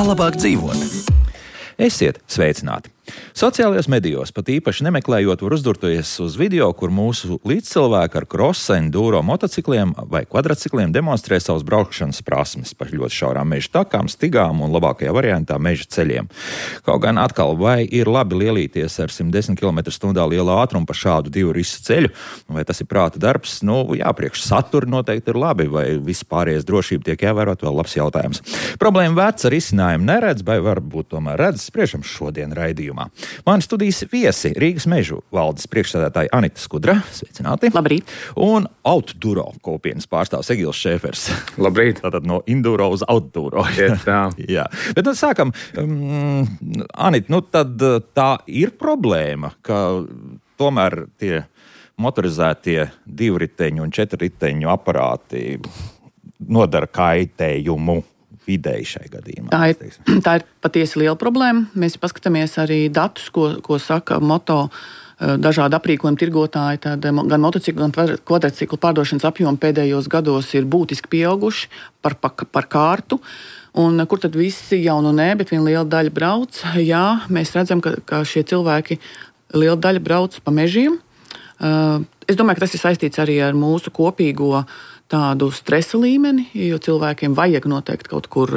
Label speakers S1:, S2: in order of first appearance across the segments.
S1: labāk dzīvot. Esiet sveicināti! Sociālajos medijos, pat īpaši nemeklējot, var uzdurties uz video, kur mūsu līdzcilvēki ar krosa, enduro motocikliem vai kvadratcikliem demonstrē savas braukšanas prasmes pa ļoti šaurām meža takām, stigām un labākajā variantā meža ceļiem. Kaut gan atkal, vai ir labi lielīties ar 110 km/h lielu ātrumu pa šādu divu risu ceļu, vai tas ir prāta darbs? Jā, priekš satura noteikti ir labi, vai viss pārējais drošība tiek ievērot, vēl labs jautājums. Problēma vērts ar izcinājumu neredz, vai varbūt tomēr redz, spriežam šodien raidījumā. Mani studijas viesi Rīgas mežu valdes priekšsēdētāja Anita Skudra. Sveicināti!
S2: Labrīt!
S1: Un outduro kopienas pārstāvs Egils Šēfers.
S3: Labrīt!
S1: Tātad no induro uz outduro. Jā. Bet tad sākam. Anita, tad tā ir problēma, ka tomēr tie motorizētie divriteņu un četrriteņu aparāti nodara kaitējumu videi šai gadījumā.
S2: Tā ir patiesi liela problēma. Mēs paskatāmies arī datus, ko saka moto dažādi aprīkojumi tirgotāji. Tad gan motociklu, gan kvadratciklu pārdošanas apjomi pēdējos gados ir būtiski pieauguši par kārtu. Un kur tad visi jau nē, bet viena liela daļa brauc? Jā, mēs redzam, ka šie cilvēki liela daļa brauc pa mežiem. Es domāju, ka tas ir saistīts arī ar mūsu kopīgo tādu stresa līmeni, jo cilvēkiem vajag noteikti kaut kur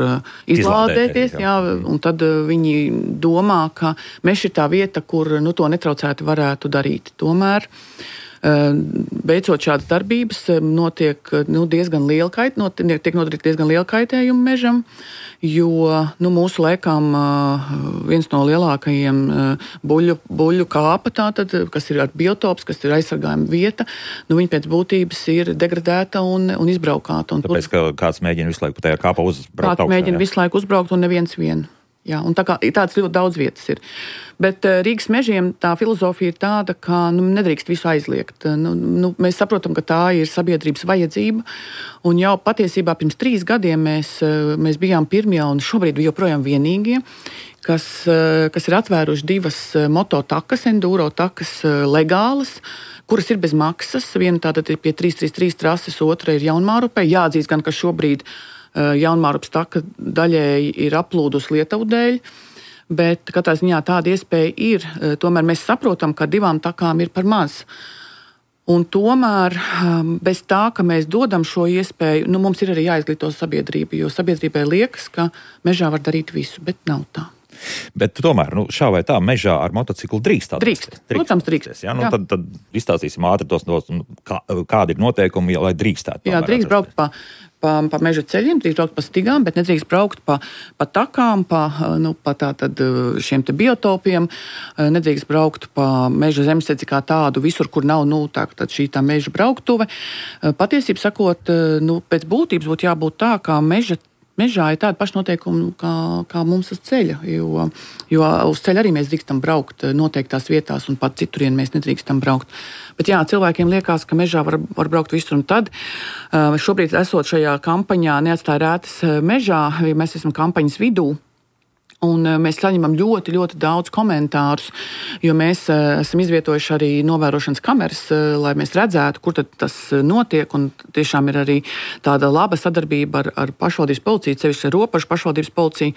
S2: izlādēties, un tad viņi domā, ka mežs ir tā vieta, kur to netraucēti varētu darīt. Tomēr, beidzot šādas darbības, notiek diezgan liela kaitējuma mežam, jo mūsu laikam viens no lielākajiem buļļu kāpa, tātad, kas ir ar biotops, kas ir aizsargājuma vieta, viņa pēc būtības ir degradēta un izbraukāta.
S1: Tāpēc, ka kāds mēģina visu laiku tajā kāpā uzbraukt augšā.
S2: Kāds mēģina visu laiku uzbraukt un neviens vien. Jā, un tāds ļoti daudz vietas ir. Bet Rīgas mežiem tā filozofija ir tāda, ka nedrīkst visu aizliegt. Mēs saprotam, ka tā ir sabiedrības vajadzība, un jau patiesībā pirms 3 gadiem mēs bijām pirmie un šobrīd joprojām vienīgie, kas ir atvēruši 2 mototakas, enduro takas legālas, kuras ir bez maksas. Viena tātad ir pie 333 trases, otra ir Jaunmārupē. Jāatzīst gan, ka šobrīd Jaunmārupas taka daļēji ir aplūdusi Lietuvu dēļ, bet katrā ziņā tāda iespēja ir. Tomēr mēs saprotam, ka 2 takām ir par maz. Un tomēr bez tā, ka mēs dodam šo iespēju, mums ir arī jāizglīto sabiedrība, jo sabiedrībai liekas, ka mežā var darīt visu, bet nav tā.
S1: Bet tomēr, šā vai tā, mežā ar motociklu drīkst.
S2: Protams, drīkst.
S1: Jā, tad izstāstīsim ātri tos, kādi ir noteikumi, lai drīkstētu.
S2: Jā, drīkst braukt pa meža ceļiem, drīkst braukt pa stigām, bet nedrīkst braukt pa takām, pa tātad šiem te biotopiem, nedrīkst braukt pa meža zemesēdzi kā tādu, visur, kur nav tad šī tā meža brauktuve. Patiesībā sakot, pēc būtības būtu jābūt tā, kā mežā ir tāda paša noteikuma kā mums uz ceļa, jo uz ceļa arī mēs drīkstam braukt noteiktās vietās un pat citurien mēs nedrīkstam braukt. Bet jā, cilvēkiem liekas, ka mežā var braukt visur, un tad šobrīd esot šajā kampaņā Neatstāj rētas mežā, mēs esam kampaņas vidū. Un mēs saņemam ļoti, ļoti daudz komentārus, jo mēs esam izvietojuši arī novērošanas kameras, lai mēs redzētu, kur tad tas notiek. Un tiešām ir arī tāda laba sadarbība ar pašvaldības policiju, sevišķi ar Ropažu pašvaldības policiju,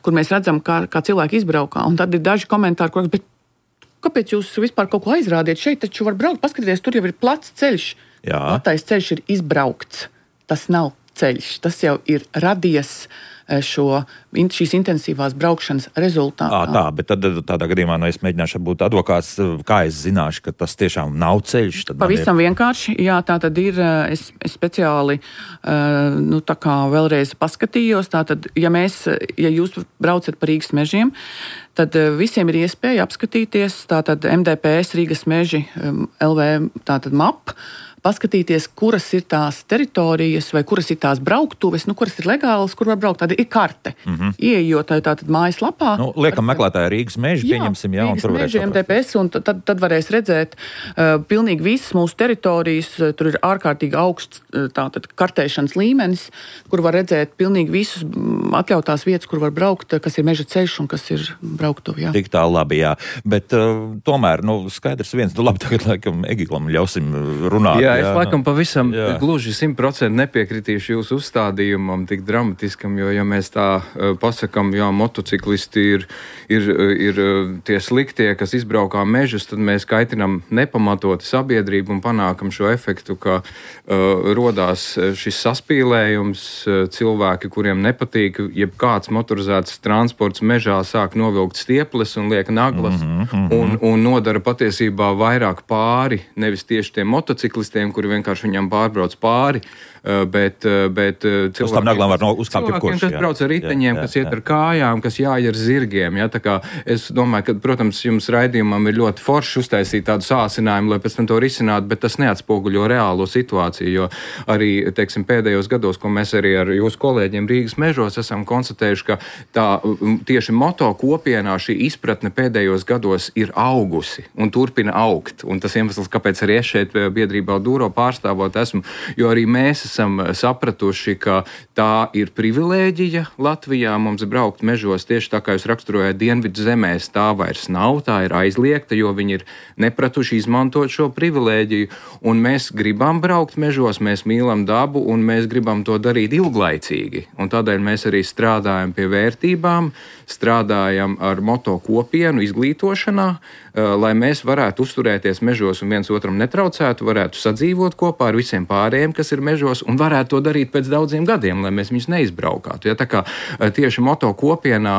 S2: kur mēs redzam, kā cilvēki izbraukā. Un tad ir daži komentāri, kur bet kāpēc jūs vispār kaut ko aizrādiet? Šeit taču var braukt, paskatieties, tur jau ir plats ceļš.
S1: Jā.
S2: Platais ceļš ir izbraukts. Tas nav ceļš, tas jau ir radies šīs intensīvās braukšanas rezultātā.
S1: Tā, bet tad tādā gadījumā, es mēģināšu būt advokāts, kā es zināšu, ka tas tiešām nav ceļš?
S2: Pavisam vienkārši, jā, tā tad ir, es speciāli, tā kā vēlreiz paskatījos, tātad, ja jūs braucat pa Rīgas mežiem, tad visiem ir iespēja apskatīties, tātad MDPS Rīgas meži LV, tātad MAP, paskatīties, kuras ir tās teritorijas vai kuras ir tās brauktuves, kuras ir legālas, kur var braukt. Tāda ir karte. Ieejot tātad mājaslapā.
S1: Liekam meklētāju Rīgas meži, pieņemsim, un tur varēs
S2: meži, MDPS, un tad varēs redzēt pilnīgi visas mūsu teritorijas. Tur ir ārkārtīgi augsts tātad kartēšanas līmenis, kur var redzēt pilnīgi visus atļautās vietas, kur var braukt, kas ir meža ceļš un kas ir brauktuve. Jā.
S1: Tik tā labi, jā. Bet tomēr, skaidrs viens, labi, tagad laikam Egilam ļausim runāt.
S3: Jā, es laikam pavisam gluži 100% nepiekritīšu jūsu uzstādījumam tik dramatiskam, jo, ja mēs tā pasakam, jā, motociklisti ir tie sliktie, kas izbraukā mežus, tad mēs kaitinam nepamatoti sabiedrību un panākam šo efektu, ka rodās šis saspīlējums, cilvēki, kuriem nepatīk, jebkāds motorizēts transports mežā sāk novilkt stieples un liek naglas un nodara patiesībā vairāk pāri, nevis tieši tiem motociklistiem, kuri vienkārši viņam pārbrauc pāri, bet cilvēkiem, kas brauc ar riteņiem, kas iet ar kājām, kas jāj ar zirgiem. Ja? Tā kā es domāju, ka, protams, jums raidījumam ir ļoti forši uztaisīt tādu sāsinājumu, lai pēc tam to risinātu, bet tas neatspoguļo reālo situāciju, jo arī, teiksim, pēdējos gados, ko mēs arī ar jūsu kolēģiem Rīgas mežos esam konstatējuši, ka tā tieši moto kopienā šī izpratne pēdējos gados ir augusi un turpina augt. Un tas iemesls, kāpēc arī es šeit biedrībā Dūro pārstāvot esmu, jo arī mēs esam sapratuši, ka tā ir privilēģija Latvijā mums braukt mežos, tieši tā kā jūs raksturojat Dienvidu zemēs, tā vairs nav, tā ir aizliegta, jo viņi ir nepratuši izmantot šo privilēģiju, un mēs gribam braukt mežos, mēs mīlam dabu, un mēs gribam to darīt ilglaicīgi, un tādēļ mēs arī strādājam pie vērtībām, strādājam ar moto kopienu izglītošanā, lai mēs varētu uzturēties mežos un viens otram netraucētu, varētu sadzīvot kopā ar visiem pārējiem, kas ir mežos, un varētu to darīt pēc daudziem gadiem, lai mēs viņus neizbraukātu. Ja, tā kā tieši moto kopienā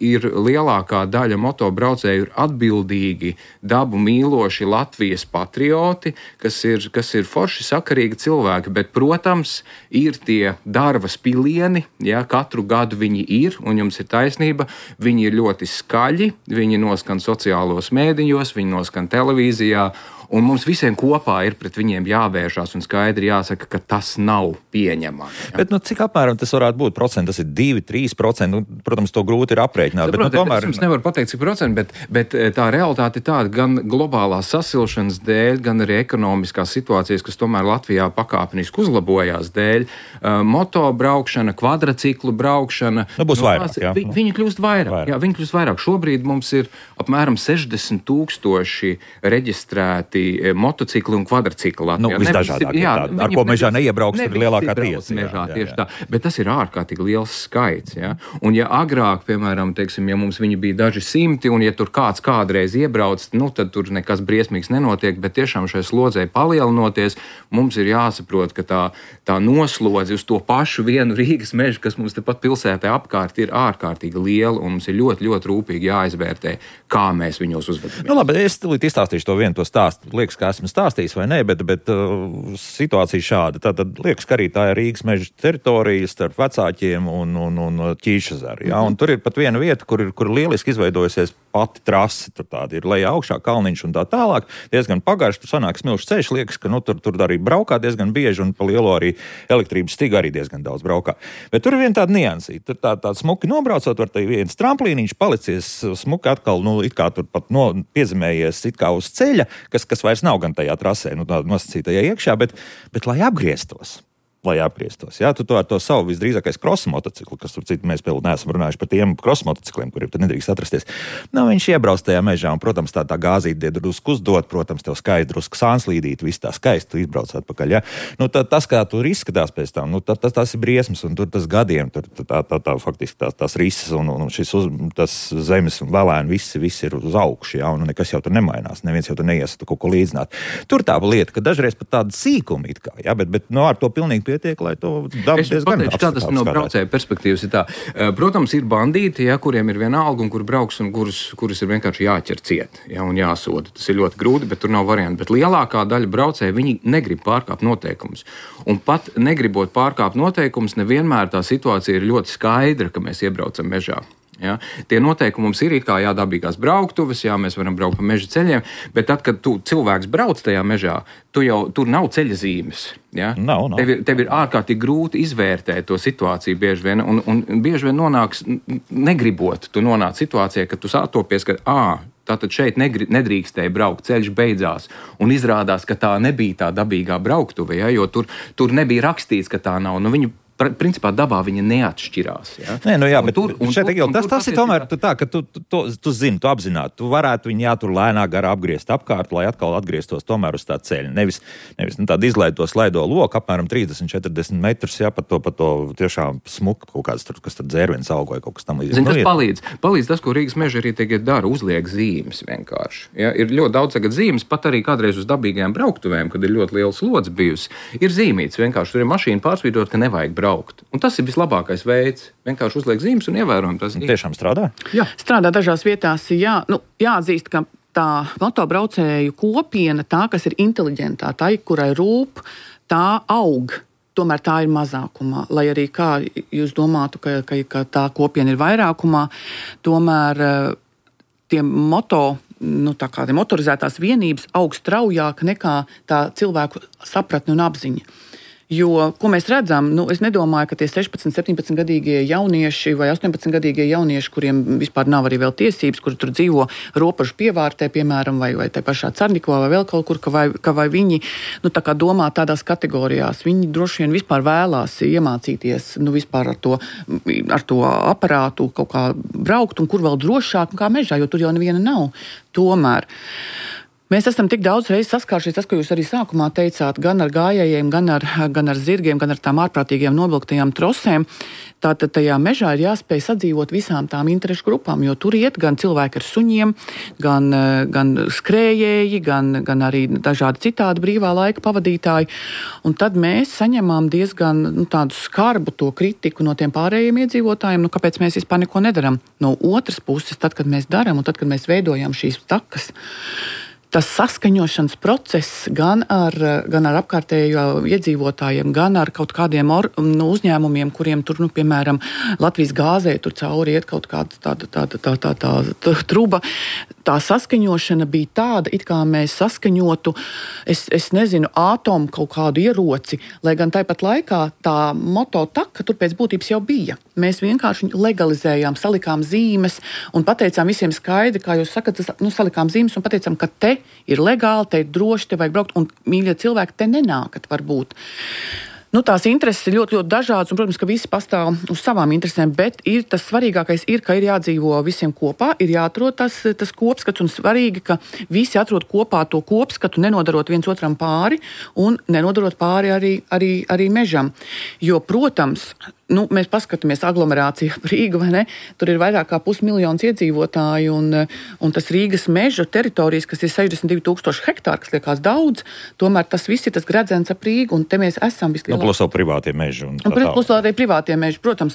S3: ir lielākā daļa moto braucēju ir atbildīgi, dabu mīloši Latvijas patrioti, kas ir forši sakarīgi cilvēki, bet, protams, ir tie darba spilieni, ja, katru gadu viņi ir, un jums ir taisnība, viņi ir ļoti skaļi, viņi noskan sociālos mēdījos, viņi noskan televīzijā, un mums visiem kopā ir pret viņiem jāvēršās un skaidri jāsaka, ka tas nav pieņemami. Ja?
S1: Bet cik apmēram tas varētu būt procenti? Tas ir 2-3%. Protams, to grūti ir aprēķināt.
S3: Protams, tomēr... Es jums nevaru pateikt, cik procenti, bet tā realitāte ir tāda gan globālās sasilšanas dēļ, gan arī ekonomiskās situācijas, kas tomēr Latvijā pakāpeniski uzlabojās dēļ. Moto braukšana, kvadrciklu braukšana.
S1: Būs vairāk, jā.
S3: Viņi kļūst vairāk. Jā, viņi kļūst vairāk. Šobrīd mums ir apmēram 60,000 reģistrēti motocikli un kvadrcikli Latvijā.
S1: Visdažādāk. Ar ko mežā neiebrauks, ir lielākā tiesa.
S3: Tā. Bet tas ir ārkārtīgi liels skaits. Ja? Un ja agrāk, piemēram, teiksim, ja mums viņi bija daži simti, un ja tur kāds kādreiz iebrauc, tad tur nekas briesmīgs nenotiek, bet tiešām šai slodzei palielinoties, mums ir jāsaprot, ka tā noslodze uz to pašu vienu Rīgas mežu, kas mums tepat pilsētā apkārt, ir ārkārtīgi liela, un mums ir ļoti, ļoti rūpīgi jāizvērtē, kā mēs viņos uzvedamies.
S1: Labi, es izstāstīšu to stāstu. Liekas, ka esmu stāstījis vai nē, bet situācija šāda. Tātad liekas, ka arī tā ir Rīgas meža teritorija starp Vecāķiem un Ķīšezaru. Ja? Un tur ir pat viena vieta, kur lieliski izveidojusies pati trase. Tur tāda ir lejā augšā kalniņš un tā tālāk. Diezgan pagarši, tur sanāk smilšs ceļš. Liekas, ka tur arī braukā diezgan bieži un pa lielo arī elektrības stigu arī diezgan daudz braukā. Bet tur ir viena tāda niansīta. Tur tā smuki nobraucot, var te viens tramplīniņš palicies smuki atkal, it kā tur pat piezemējies it kā uz ceļa, kas vairs nav gan tajā trasē, tādā nosacītajā iekšā, bet lai apgrieztos. Jā, tu ar to savu visdrīzākais krosa motociklu, kas tur citu mēs vēl neesam runājuši par tiem krosa motocikliem, kuriem tad nedrīkst atrasties. Viņš iebrauc tajā mežā un, protams, tā gāzīte drusku uzdot, protams, tev skaisti drusku sānslīdīt, viss tā skaisti, tu izbrauc atpakaļ, jā. Tas, kā tur izskatās pēc tam, tas ir briesmas un tur tas gadiem, tur faktiski tās rises un tas zemes un velēni, viss ir uz augšu, jā, un nekas jau tur nemainās, neviens jau tur neies kaut ko līdzināt. Tur tā lieta, ka dažreiz pat tāda sīkuma it kā, jā, bet ar to pilnīgi pietiek, lai to dabu diezgan apskatās.
S3: Kā tas no braucēja perspektīvas ir tā. Protams, ir bandīti, ja, kuriem ir viena alga un kur brauks un kurus ir vienkārši jāķer ciet, ja, un jāsoda. Tas ir ļoti grūti, bet tur nav varianti. Bet lielākā daļa braucēja, viņi negrib pārkāpt noteikumus. Un pat negribot pārkāpt noteikumus, nevienmēr tā situācija ir ļoti skaidra, ka mēs iebraucam mežā. Ja? Tie noteikumi mums ir it kā dabīgās brauktuves, mēs varam braukt pa meža ceļiem, bet tad, kad cilvēks brauc tajā mežā, tur nav ceļa zīmes. Ja?
S1: Nav.
S3: Tev ir ārkārtīgi grūti izvērtēt to situāciju bieži vien, un bieži vien negribot, tu nonāc situācijā, ka tu sātopies, ka tātad šeit nedrīkstēja braukt, ceļš beidzās, un izrādās, ka tā nebija tā dabīgā brauktuve, ja? Jo tur nebija rakstīts, ka tā nav. Viņi principā dabā viņa neatšķirās. Ja?
S1: Nē, nu jā, bet šeit, Egil, tas ir tomēr tā, ka tu zini, tu apzināti, tu varētu viņu tur lēnāk garā apgriezt apkārt, lai atkal atgrieztos tomēr uz tā ceļa. Nevis tādu izlaido slaido loku, apmēram 30-40 metrus, jā, pa to tiešām smuku kaut kāds, kas tad dzērvens augoja, kaut kas tam līdzīgs.
S3: Zini, tas palīdz tas, ko Rīgas meža arī tagad dara, uzliek zīmes vienkārši. Ja? Ir ļoti daudz tagad zīmes, pat arī kādreiz uz dabīgajām brauktuvēm, kad ir ļoti liels lods bijusi, ir zīmīts vienkārši, tur ir mašīna pārsvīdot, ka nevajag braukt. Un tas ir vislabākais veids. Vienkārši uzliek zīmes un ievērojam tas.
S1: Tiešām strādā?
S2: Jā, strādā dažās vietās, jā. Jāatzīst, ka tā motobraucēju kopiena, tā, kas ir inteliģentā, tā, kurai rūp, tā aug. Tomēr tā ir mazākumā. Lai arī kā jūs domātu, ka tā kopiena ir vairākumā, tomēr tie motorizētās vienības aug straujāk nekā tā cilvēku sapratne un apziņa. Jo, ko mēs redzam, es nedomāju, ka tie 16, 17-gadīgie jaunieši vai 18-gadīgie jaunieši, kuriem vispār nav arī vēl tiesības, kuri tur dzīvo robežu pievārtē, piemēram, vai te pašā Carnikovā vai vēl kaut kur, ka vai viņi tā kā domā tādās kategorijās. Viņi droši vien vispār vēlās iemācīties vispār ar to aparātu kaut kā braukt un kur vēl drošāk kā mežā, jo tur jau neviena nav. Tomēr mēs esam tik daudz reizes saskāršies, tas, ko jūs arī sākumā teicāt, gan ar gājējiem, gan ar zirgiem, gan ar tām ārprātīgiem novilktajām trosēm. Tātad tajā mežā ir jāspēj sadzīvot visām tām interešu grupām, jo tur iet gan cilvēki ar suņiem, gan skrējēji, gan arī dažādi citādi brīvā laika pavadītāji. Un tad mēs saņemam diezgan tādu skarbu to kritiku no tiem pārējiem iedzīvotājiem, kāpēc mēs vispār neko nedaram. No otras puses, tad, kad mēs daram un tad, kad mēs veidojam šīs takas, tas saskaņošanas process gan ar apkārtējo iedzīvotājiem, gan ar kaut kādiem uzņēmumiem, kuriem tur, piemēram, Latvijas gāzē tur cauri iet kaut kāda tāda truba. Tā saskaņošana bija tāda, it kā mēs saskaņotu, es nezinu, ātomu kaut kādu ieroci, lai gan tāpat laikā tā mototaka tur pēc būtības jau bija. Mēs vienkārši legalizējām, salikām zīmes un pateicām visiem skaidri, kā jūs sakat, salikām zīmes un pateicām, ka te ir legāli, te ir droši, te vajag braukt, un mīļie cilvēki te nenākat varbūt. Tās intereses ir ļoti, ļoti dažādas, un, protams, ka visi pastāv uz savām interesēm, bet tas svarīgākais ir, ka ir jādzīvo visiem kopā, ir jāatrod tas kopskats, un svarīgi, ka visi atrod kopā to kopskatu, nenodarot viens otram pāri, un nenodarot pāri arī mežam. Jo, protams, mēs paskatāmies aglomerācija Rīga, vai ne? Tur ir vairāk kā 500 000 iedzīvotāju, un tas Rīgas meža teritorijas, kas ir 62,000 hektāri, kas liekas daudz, tomēr tas viss ir tas gredzens ap Rīgu, un te mēs esam vislielākie.
S1: Plus vēl privātie meži.
S2: Plus arī privātie meži, protams.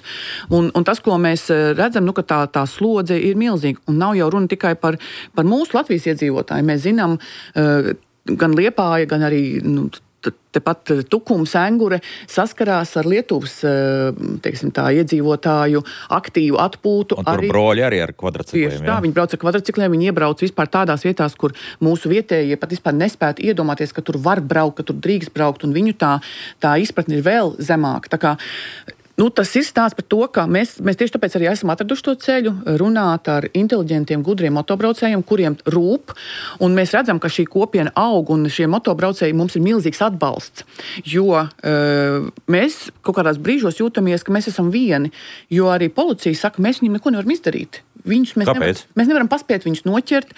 S2: Un tas, ko mēs redzam, ka tā slodze ir milzīga, un nav jau runa tikai par mūsu Latvijas iedzīvotāju. Mēs zinām, gan Liepāja, gan arī tepat Tukums, Engure saskarās ar Lietuvas, iedzīvotāju aktīvu atpūtu.
S1: Un tur broļi arī ar kvadricikliem.
S2: Tieši tā, viņi brauc ar kvadricikliem, viņi iebrauc vispār tādās vietās, kur mūsu vietējie pat vispār nespētu iedomāties, ka tur var braukt, ka tur drīkst braukt, un viņu tā izpratne ir vēl zemāka. Tā kā tas ir stāsts par to, ka mēs tieši tāpēc arī esam atraduši to ceļu, runāt ar inteliģentiem, gudriem motobraucējiem, kuriem rūp, un mēs redzam, ka šī kopiena aug, un šie motobraucēji mums ir milzīgs atbalsts, jo mēs kaut kādās brīžos jūtamies, ka mēs esam vieni, jo arī policija saka, mēs viņiem neko nevaram izdarīt. Mēs nevaram paspēt viņus noķert,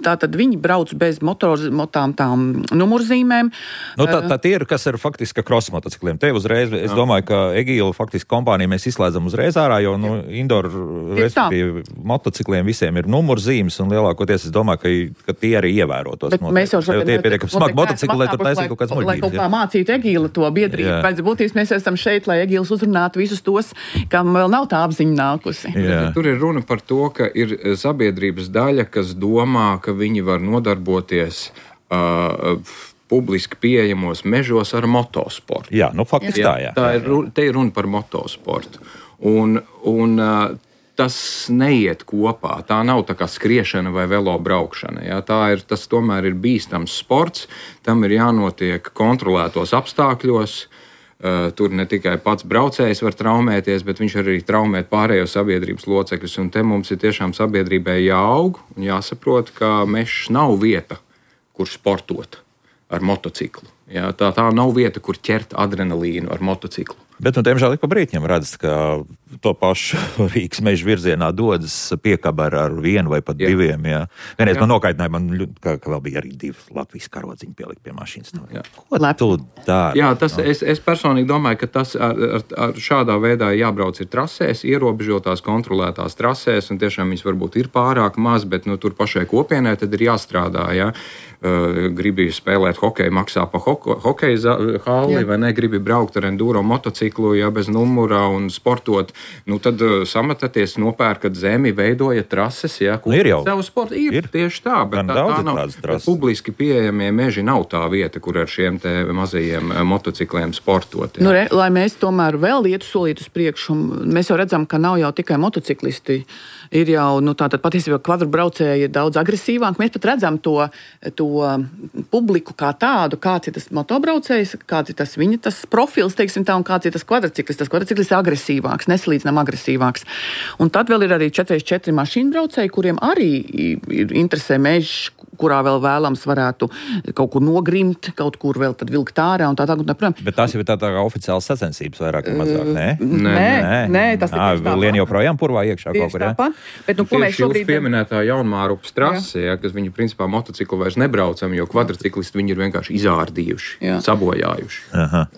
S2: tātad viņi brauc bez tām numurzīmēm.
S1: Tā ir, kas ir faktiski cross motocikliem. Te uzreiz, es domāju, ka Egīla faktiski kompānija mēs izslēdzam uzreiz ārā, jo indoor respektīvi motocikliem visiem ir numurzīmes, un lielākoties es domāju, ka tie arī ievērotos.
S2: Bet mēs jau
S1: tie ir pietiekami smagi motocikli, lai tur taisītu kaut kāds muļķības.
S2: Lai kaut kā mācītu Egīla to biedrību. Pēc būtības mēs esam šeit, lai Egīls uzrunātu visus tos, kam vēl nav tā apziņa nākusi.
S3: Tur ir runa par to, ka ir sabiedrības daļa, kas domā, ka viņi var nodarboties publiski pieejamos mežos ar motosportu.
S1: Jā, faktiski tā, jā.
S3: Te ir runa par motosportu. Un tas neiet kopā. Tā nav tā kā skriešana vai velo braukšana. Jā. Tas tomēr ir bīstams sports. Tam ir jānotiek kontrolētos apstākļos. Tur ne tikai pats braucējs var traumēties, bet viņš arī traumēt pārējo sabiedrības locekļus. Un te mums ir tiešām sabiedrībai jāaug un jāsaprot, ka mežs nav vieta, kur sportot ar motociklu. Jā, tā nav vieta, kur ķert adrenalīnu ar motociklu.
S1: Bet, diemžēl, ik pa brīķiem redz, ka to pašu Rīgas meža virzienā dodas piekaba ar vienu vai pat diviem. Jā. Vienreiz man nokaitināja, ka vēl bija arī 2 Latvijas karodziņi pielikt pie mašīnas. Ko tu dari?
S3: Jā, es personīgi domāju, ka tas ar šādā veidā jābrauc ir trasēs, ierobežotās, kontrolētās trasēs, un tiešām viņas varbūt ir pārāk maz, bet tur pašai kopienai tad ir jāstrādā, jā. Gribi spēlēt hokeju, maksā pa hokeja halli, vai ne, gribi braukt ar enduro motociklu, ja bez numura un sportot, tad samataties, nopērkat zemi, veidojat trases, ja,
S1: ir jau.
S3: Savu sportu ir tieši tā, bet tā nav, publiski pieejamie meži nav tā vieta, kur ar šiem te mazajiem motocikliem sportot. Ja.
S2: Lai mēs tomēr vēl ietu solīt uz priekšu, mēs jau redzam, ka nav jau tikai motociklisti, ir jau, tātad patiesībā kvadrbraucēji ir daudz agresīvāk. Mēs pat redzam to publiku kā tādu, kāds ir tas motobraucējs, kāds ir tas viņa profils, teiksim tā, un kāds ir tas kvadrciklis. Tas kvadrciklis ir agresīvāks, nesalīdzinām agresīvāks. Un tad vēl ir arī 4x4 mašīnu braucēji, kuriem arī ir interesē mežs, kurā vēl vēlams varētu kaut kur nogrimt, kaut kur vēl tad vilkt ārā un tā tālāk.
S1: Bet tās jau ir tā kā oficiāls sacensības vairāk vai mazāk,
S2: Nē, tas ir tieši tāpat.
S1: Lien joprojām purvā iekšā kaut kur,
S2: jā? Bet, ko mēs šobrīd...
S3: Jūs pieminētā Jaunmārupas trase, kas viņi principā motociklu vairs nebraucam, jo kvadrciklisti viņi ir vienkārši izārdījuši, sabojājuši.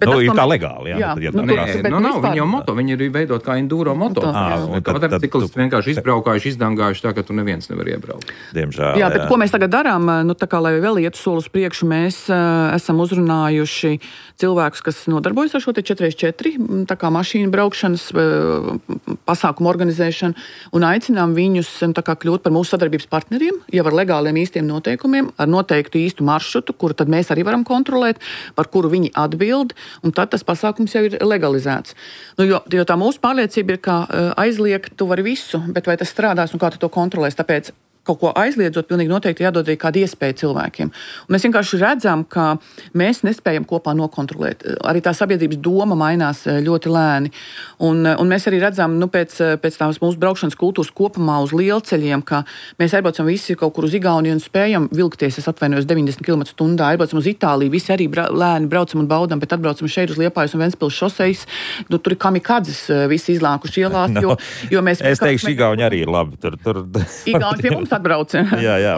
S1: Ir tā legāli, jā.
S3: Viņi jau moto, viņi ir veidot kā enduro moto. Kvadrciklisti vienkārši izbraukājuši, izdangājuši tā, ka tu neviens nevar iebraukt.
S1: Diemžēl,
S2: jā, bet ko mēs tagad darām? Tā kā, lai vēl ietu soli uz priekšu, mēs esam uzrunājuši cilvēkus, kas nodarbojas ar šo 4x4, tā kā mašīnu braukšanas pasākumu organizēšanu, un aicinām viņus tā kā kļūt par mūsu sadarbības partneriem, jau ar legāliem īstiem noteikumiem, ar noteiktu īstu maršrutu, kuru tad mēs arī varam kontrolēt, par kuru viņi atbild, un tad tas pasākums jau ir legalizēts. Jo tā mūsu pārliecība ir, ka aizliegt tu vari visu, bet vai tas strādās un kā tu to kontrolēs, tāpēc kaut ko aizliedzot, pilnīgi noteikti jādod arī kāda iespēja cilvēkiem. Un mēs vienkārši redzam, ka mēs nespējam kopā nokontrolēt. Arī tā sabiedrības doma mainās ļoti lēni. Un mēs arī redzam, pēc tās mūsu braukšanas kultūras kopumā uz lielceļiem, ka mēs aizbraucam visi kaut kur uz Igauniju un spējam vilkties, es atvainojos, 90 km/h, aizbraucam uz Itāliju, visi arī lēni braucam un baudam, bet atbraucam šeit uz Liepājas un Ventspils šosejas. Tur ir kamikadzes visi izlākuši ielās, jo mēs...
S1: Es teikšu, Igauni arī ir labi.
S2: Igauni pie mums atbrauc,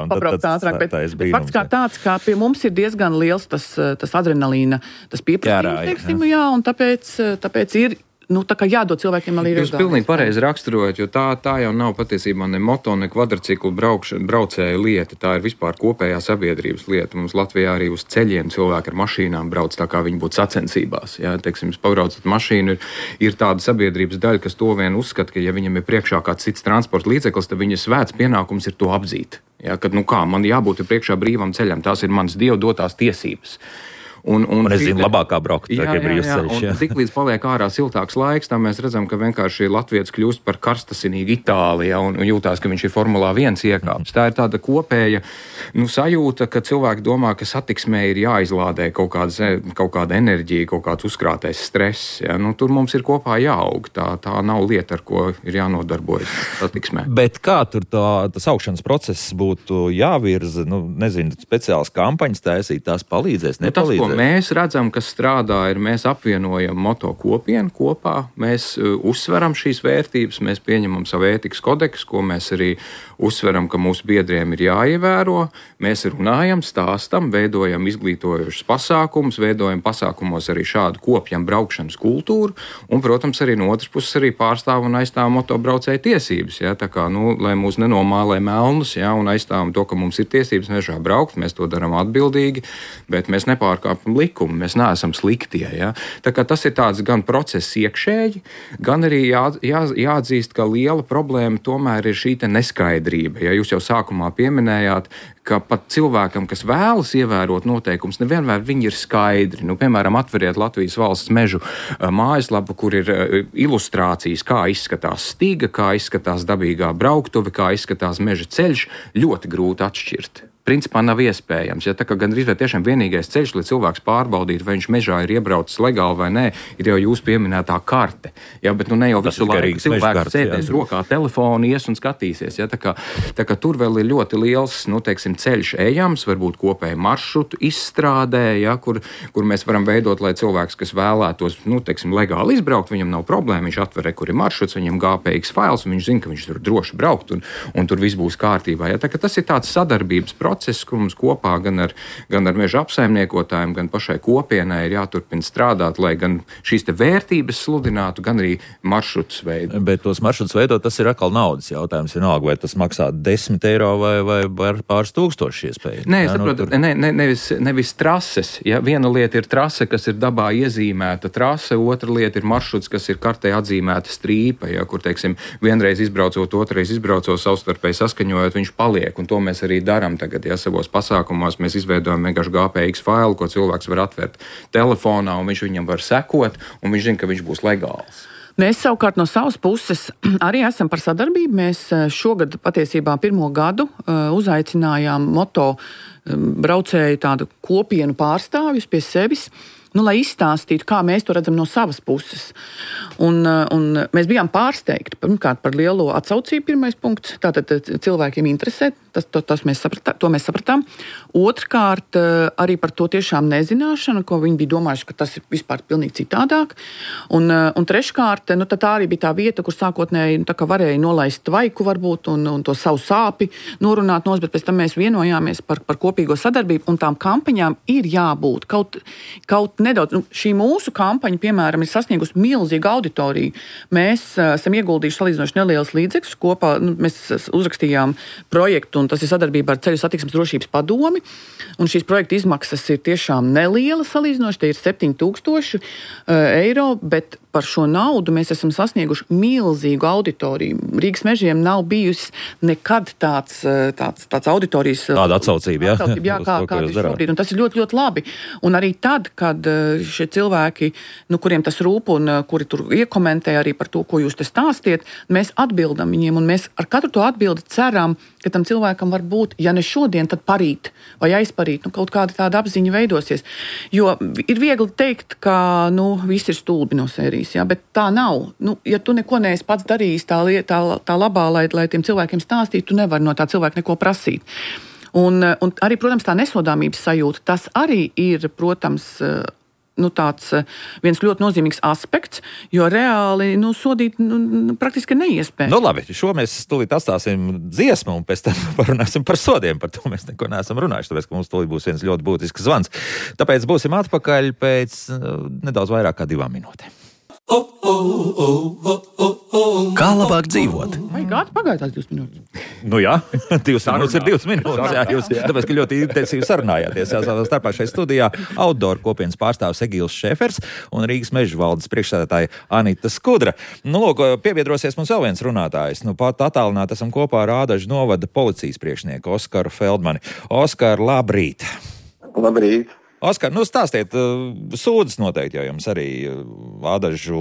S2: pabraukt ātrāk, bet fakts kā tāds, ka pie mums ir diezgan liels tas adrenalīna, tas pieprasījums, teiksim, un tāpēc ir tā kā jādod cilvēkiem arī
S3: Jūs pilnīgi pareizi raksturojat, jo tā jau nav patiesībā ne moto, ne kvadrciklu braucēja lieta, tā ir vispār kopējā sabiedrības lieta. Mums Latvijā arī uz ceļiem cilvēki ar mašīnām brauc tā kā viņi būtu sacensībās. Jā, teiksim, pabraucat mašīnu, ir tāda sabiedrības daļa, kas to vien uzskata, ka ja viņam ir priekšā kāds cits transporta līdzeklis, tad viņa svēts pienākums ir to apdzīt. Jā, kad man jābūt priekšā brīvam ceļam, tās ir manas Dieva dotās tiesības. Un
S1: es zinu, labākā braukt, tā kā brīvs ceļš.
S3: Un tik līdz paliek ārā siltāks laiks, tā mēs redzam, ka vienkārši latvietis kļūst par karstasinīgu Itālijā un jūtās, ka viņš ir Formulā 1 iekāpis. Tā ir tāda kopēja sajūta, ka cilvēki domā, ka satiksmē ir jāizlādē kaut kāda enerģija, kaut kāds uzkrātais stress. Ja? Tur mums ir kopā jāaug. Tā nav lieta, ar ko ir jānodarbojas satiksmē.
S1: Bet kā tur tas augšanas process būtu jāvirza? Nezinu, speciāls kampaņas taisīt, tās palīdzēs, nepalīdzēs?
S3: Mēs redzam, kas strādā, ir mēs apvienojam moto kopienu kopā, mēs uzsveram šīs vērtības, mēs pieņemam savu ētikas kodeksu, ko mēs arī uzsveram, ka mūsu biedriem ir jāievēro. Mēs runājam, stāstam, veidojam izglītojošus pasākumus, veidojam pasākumos arī šādu kopjam braukšanas kultūru, un, protams, arī no otras puses arī pārstāv un aizstāv motobraucēju tiesības. Ja? Tā kā, lai mūs nenomālē melnus, ja? Un aizstāvam to, ka mums ir tiesības mežā braukt, mēs to darām atbildīgi, bet mēs nepārkāpjam likumu, mēs neesam sliktie. Ja? Tā kā tas ir tāds gan process iekšēji, gan arī jāatzīst, ka liela problēma tomēr ir šī neskaidrība. Ja jūs jau sākumā pieminējāt, ka pat cilvēkam, kas vēlas ievērot noteikumus, nevienmēr viņi ir skaidri. Piemēram, atveriet Latvijas valsts mežu mājaslapu, kur ir ilustrācijas, kā izskatās stiga, kā izskatās dabīgā brauktuve, kā izskatās meža ceļš, ļoti grūti atšķirt. principā nav iespējams. Ja, tā kā gandrīz vai tiešām vienīgais ceļš, lai cilvēks pārbaudītu, vai viņš mežā ir iebraucis legāli vai nē, ir jau jūs pieminētā karte. Ja, bet ne jau visu laiku cilvēks sēdēs rokā telefonu, ies un skatīsies. Ja, tā kā tur vēl ir ļoti liels, ceļš ejams, varbūt kopēju maršrutu izstrādē, ja, kur mēs varam veidot, lai cilvēks, kas vēlētos, legāli izbraukt, viņam nav problēma, viņš atver, kur ir maršruts, viņam GPX fails, un viņš zina, ka viņš tur droši braukt, un tur viss būs kārtībā. Ja, tā kā tas ir tāds sadarbības process, kur mums kopā gan ar meža apsaimniekotājiem, gan pašai kopienai ir jāturpina strādāt, lai gan šīs te vērtības sludinātu, gan arī maršrutus veidot.
S1: Bet tos maršrutus veidot, tas ir atkal naudas jautājums. Vienalga, vai tas maksā 10 eiro vai pāris tūkstoši iespēja.
S3: Nē, saprotu, nevis trases. Ja? Viena lieta ir trase, kas ir dabā iezīmēta trase, otra lieta ir maršruts, kas ir kartē atzīmēta strīpa, ja? Kur, vienreiz izbraucot, otrreiz izbraucot, savstarpēji saskaņojot, viņš paliek, un to mēs arī darām tagad, ja savos pasākumos mēs izveidojam vienkārši GPX failu, ko cilvēks var atvērt telefonā, un viņš viņam var sekot, un viņš zina, ka viņš būs legāls.
S2: Mēs savukārt no savas puses arī esam par sadarbību. Mēs šogad patiesībā pirmo gadu uzaicinājām moto braucēju tādu kopienu pārstāvjus pie sevis, lai izstāstītu, kā mēs to redzam no savas puses. Un mēs bijām pārsteigti, pirmkārt, par lielo atsaucību, pirmais punkts. Tātad cilvēkiem interesē, to mēs sapratām. Otrkārt, arī par to tiešām nezināšanu, ko viņi bija domājuši, ka tas ir vispār pilnīgi citādāk. Un treškārt, tā arī bija tā vieta, kur sākotnēji varēja nolaist tvaiku varbūt un to savu sāpi norunāt nos, bet pēc tam mēs vienojāmies par kopīgo sadarbību, un tām kampaņām ir jābūt kaut nedaudz. Šī mūsu kampaņa, piemēram, ir sasniegusi milzīgu auditoriju. Mēs esam ieguldījuši salīdzinoši nelielas līdzekļus. Kopā mēs uzrakstījām projektu, un tas ir sadarbībā ar Ceļu satiksmes drošības padomi. Un šīs projekta izmaksas ir tiešām nelielas salīdzinoši, tie ir 7,000 eiro, bet par šo naudu mēs esam sasnieguši milzīgu auditoriju. Rīgas mežiem nav bijusi nekad tāds auditorijas...
S1: Tāda atsaucība,
S2: jā, kā ir šobrīd. Un tas ir ļoti, ļoti labi. Un arī tad, kad šie cilvēki, kuriem tas rūp un kuri tur iekomentē arī par to, ko jūs te stāstiet, mēs atbildam viņiem, un mēs ar katru to atbildi ceram, ka tam cilvēkam var būt, ja ne šodien, tad parīt vai aizparīt, kaut kāda tāda apziņa veidosies. Jo ir viegli teikt, ka, viss ir stulbi no sērijas, jā, bet tā nav. Ja tu neko neesi pats darījis tā labā, lai tiem cilvēkiem stāstītu, tu nevari no tā cilvēka neko prasīt. Un arī, protams, tā nesodāmības sajūta, tas arī ir, protams, tāds viens ļoti nozīmīgs aspekts, jo reāli sodīt praktiski neiespējams.
S1: Labi, šo mēs tūlīt atstāsim dziesmu un pēc tam parunāsim par sodiem. Par to mēs neko neesam runājuši, tāpēc, ka mums tūlīt būs viens ļoti būtisks zvans. Tāpēc būsim atpakaļ pēc nedaudz vairāk kā 2 minūtēm. Kā labāk dzīvot?
S2: Vai gādi pagāja tās 2 minūtes?
S1: Jā, 2 minūtes ir 2 minūtes. Jā, jūs, tāpēc, ka ļoti intensīvi sarunājāties. Savā starpā šajā studijā Outdoor kopienas pārstāvis Egils Šefers un Rīgas meža valdes priekšsēdētāja Anita Skudra. Piebiedrosies mums vēl viens runātājs. Pat attālināti esam kopā ar Ādažu novada policijas priekšnieku Oskaru Feldmani. Oskar, labrīt!
S4: Labrīt!
S1: Oskar, stāstiet, sūdzes noteikti jau jums arī Ādažu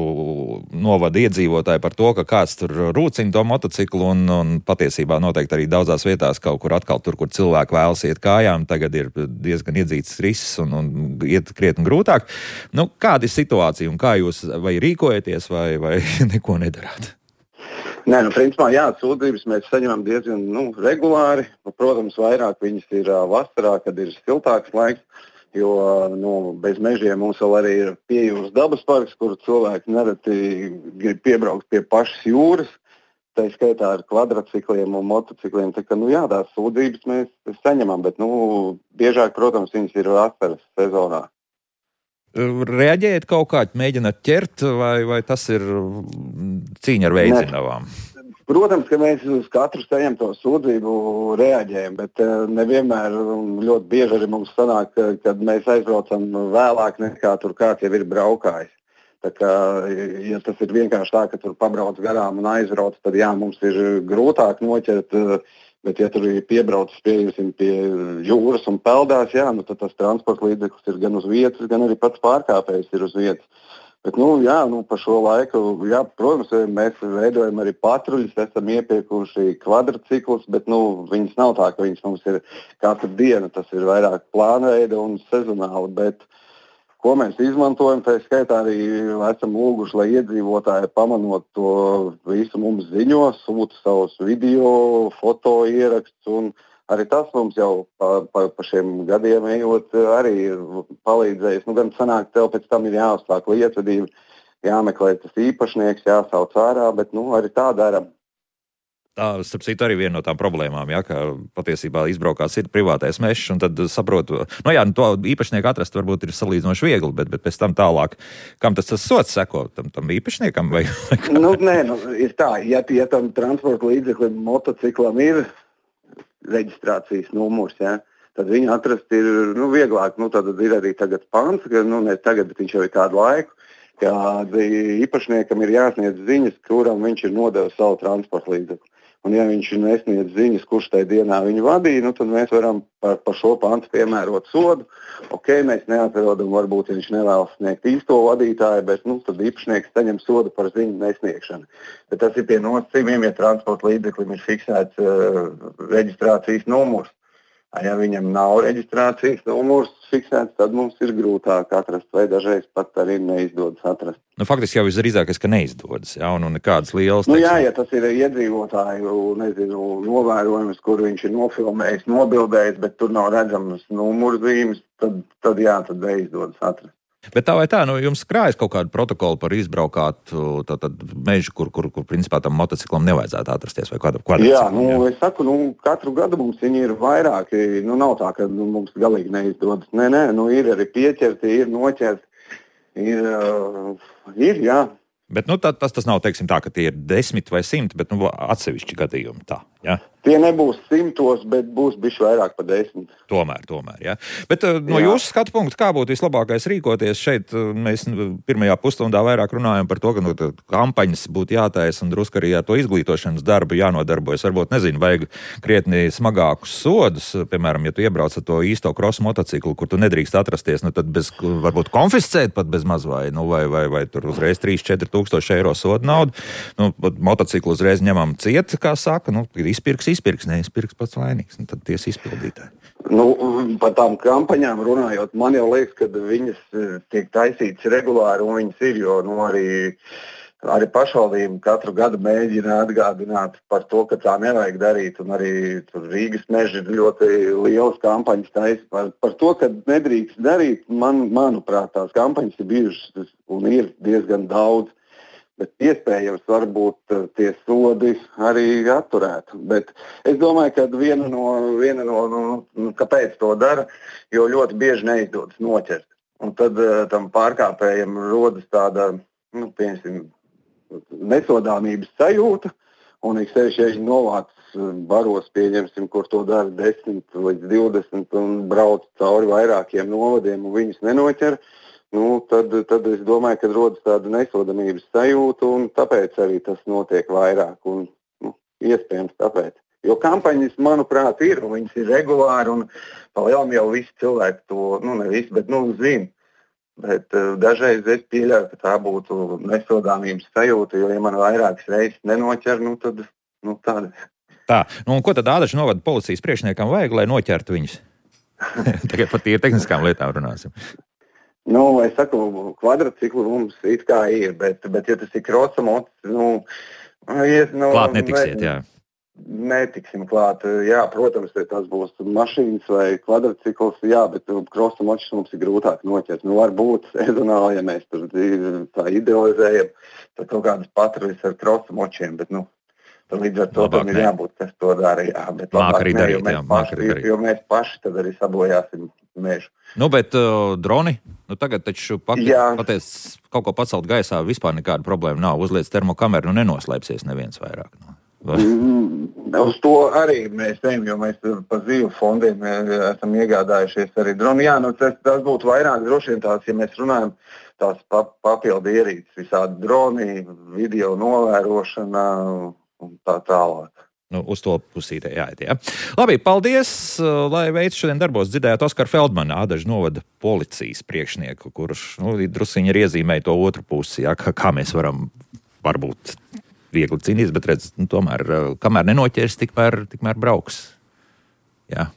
S1: novada iedzīvotāji par to, ka kāds tur rūcina to motociklu un patiesībā noteikti arī daudzās vietās kaut kur atkal tur, kur cilvēki vēlas iet kājām, tagad ir diezgan iedzīts risks un iet krietni grūtāk. Kāda ir situācija un kā jūs vai rīkojaties vai neko nedarāt?
S4: Nē, principā, jā, sūdzības mēs saņemam diezgan regulāri. Protams, vairāk viņas ir vasarā, kad ir siltāks laiks. Jo bez mežiem mums vēl arī ir Piejūras dabas parks, kur cilvēki nereti grib piebraukt pie pašas jūras, tā skaitā ar kvadrcikliem un motocikliem. Tā kā, tās sūdzības mēs saņemam, bet biežāk, protams, viņas ir vasaras sezonā.
S1: Reaģējat kaut kā, mēģināt ķert, vai tas ir cīņa ar veidzinavām?
S4: Protams, ka mēs uz katru saņemto sūdzību reaģējam, bet nevienmēr ļoti bieži arī mums sanāk, kad mēs aizbraucam vēlāk nekā tur kāds jau ir braukājis. Tā kā, ja tas ir vienkārši tā, ka tur pabrauc garām un aizbrauc, tad jā, mums ir grūtāk noķert, bet ja tur ir piebraucis pie jūras un peldās, jā, tad tas transporta līdzeklis ir gan uz vietas, gan arī pats pārkāpējs ir uz vietas. Bet, pa šo laiku, protams, mēs veidojam arī patruļus, esam iepirkuši kvadrciklus, bet viņas nav tā, ka viņas mums ir katru dienu. Tas ir vairāk plānveida un sezonāli. Bet, ko mēs izmantojam, tā skaitā arī esam lūguši, lai iedzīvotāji pamanot to visu mums ziņo, sūta savus video, foto ierakstus. Arī tas mums jau pa šiem gadiem ejot arī ir palīdzējis. Gan sanāk, tev pēc tam ir jāuzsāk lietvedība, jāmeklē tas īpašnieks, jāsauc ārā, bet arī tā dara.
S1: Tā, starp citu, arī viena no tām problēmām, ka patiesībā izbraukās ir privātais mežs, un tad saprotu, to īpašnieku atrast varbūt ir salīdzinoši viegli, bet pēc tam tālāk, kam tas sots seko, tam īpašniekam vai
S4: ir tā, ja tam transporta līdzeklim, motociklam ir reģistrācijas numurs, tad viņu atrast ir vieglāk. Tad ir arī tagad pants, ka ne tagad, bet viņš jau ir kādu laiku, kad īpašniekam ir jāsniedz ziņas, kuram viņš ir nodevis savu transporta līdzekli. Un ja viņš nesniedz ziņas, kurš tajā dienā viņu vadīja, tad mēs varam par šo pantu piemērot sodu. Mēs neatrodam, varbūt viņš nevēlas sniegt īsto vadītāju, bet tad īpašnieks saņem sodu par ziņu nesniegšanu. Bet tas ir pie nosacījumiem, ja transporta līdzeklim ir fiksēts reģistrācijas numurs. Ja viņam nav reģistrācijas numurs fiksēts, tad mums ir grūtāk atrast, vai dažreiz pat arī neizdodas atrast.
S1: Faktiski jau visdrīzākais, ka neizdodas, un nekādas lielas...
S4: Ja tas ir iedzīvotāju, novērojums, kur viņš ir nofilmējis, nobildējis, bet tur nav redzamas numurzīmes, tad neizdodas atrast.
S1: Bet tā vai tā, jums krājas kaut kādu protokolu par izbraukātu mežu, kur principā tam motociklam nevajadzētu atrasties vai kvadrciklam?
S4: Jā, es saku, katru gadu mums viņi ir vairāki. Nav tā, ka mums galīgi neizdodas. Nē, ir arī pieķerti, ir noķerti. Ir, jā.
S1: Bet tas nav, teiksim tā, ka tie ir 10 vai 100, bet atsevišķi gadījumi tā, jā?
S4: Tie nebūs 100, bet būs bišķi vairāk par 10.
S1: Tomēr, jā. Bet no jūsu skatu punkta, kā būtu vislabākais rīkoties šeit? Mēs pirmajā pusstundā vairāk runājam par to, ka kampaņas būtu jātaisa un drusku arī to izglītošanas darbu jānodarbojas. Varbūt, vajag krietni smagākus sodus. Piemēram, ja tu iebrauc ar to īsto krosu motociklu, kur tu nedrīkst atrasties, tad varbūt konfiscēt pat bez maz vai tur uzreiz 3-4 tūkstoši eiro soda naudu. Motociklu uzreiz ņemam ciet, kā saka, izpirks, neizpirks pats vainīgs, tad tiesa izpildītāji.
S4: Par tām kampaņām runājot, man jau liekas, ka viņas tiek taisītas regulāri un viņas ir, jo arī pašvaldība katru gadu mēģina atgādināt par to, ka tā nevajag darīt, un arī Rīgas meži ir ļoti lielas kampaņas taisa par to, ka nedrīkst darīt. Manuprāt, tās kampaņas ir bijušas un ir diezgan daudz. Bet iespējams, varbūt tie sodi arī atturētu. Bet es domāju, ka viena no kāpēc to dara, jo ļoti bieži neizdodas noķert. Un tad tam pārkāpējam rodas tāda, nesodāmības sajūta, un ik sevišķi, ja viņi novāc baros, pieņemsim, kur to dara 10 līdz 20 un brauc cauri vairākiem novadiem un viņus nenoķer. Tad es domāju, ka rodas tāda nesodamības sajūta, un tāpēc arī tas notiek vairāk. Un, iespējams tāpēc. Jo kampaņas, manuprāt, ir, un viņas ir regulāri, un palielam jau visi cilvēki to, ne visi, bet zina. Bet dažreiz es pieļauju, ka tā būtu nesodāmības sajūta, jo, ja man vairākas reizes nenoķer, tad tāda.
S1: Tā, un ko tad Ādažu novada policijas priekšniekam vajag, lai noķertu viņus? Tagad par tīri tehniskām lietām runāsim.
S4: Es saku, kvadrciklu mums it kā ir, bet ja tas ir krosamots,
S1: klāt netiksiet, jā.
S4: Netiksim klāt, jā, protams, ja tas būs mašīnas vai kvadrcikls, jā, bet krosamots mums ir grūtāk noķert. Varbūt sezonāli, ja mēs tur tā idealizējam, tad kaut kādas patruļas ar krosamočiem, bet, tad līdz ar to tam ir jābūt, kas to dara, jā. Bet labāk ne, jo mēs paši tad arī sabojāsim mežu.
S1: Bet droni, tagad taču pateic, kaut ko pacelt gaisā, vispār nekāda problēma nav. Uzliec termokameru, nenoslēpsies neviens vairāk.
S4: Uz to arī mēs ejam, jo mēs pa zīvu fondiem esam iegādājušies arī droni. Jā, tas būtu vairāk droši vien tās, ja mēs runājam, tās papildu ierīces, visādi droni, video novērošana un tā tālāk.
S1: uz to pusītē jāiet, jā. Labi, paldies, lai veids šodien darbos dzirdējāt Oskaru Feldmanu, Ādažu novada policijas priekšnieku, kurš, drusiņi ir iezīmēja to otru pusi, jā, kā mēs varam varbūt viegli cīnīties, bet redz, tomēr, kamēr nenoķers, tikmēr brauks. Jā,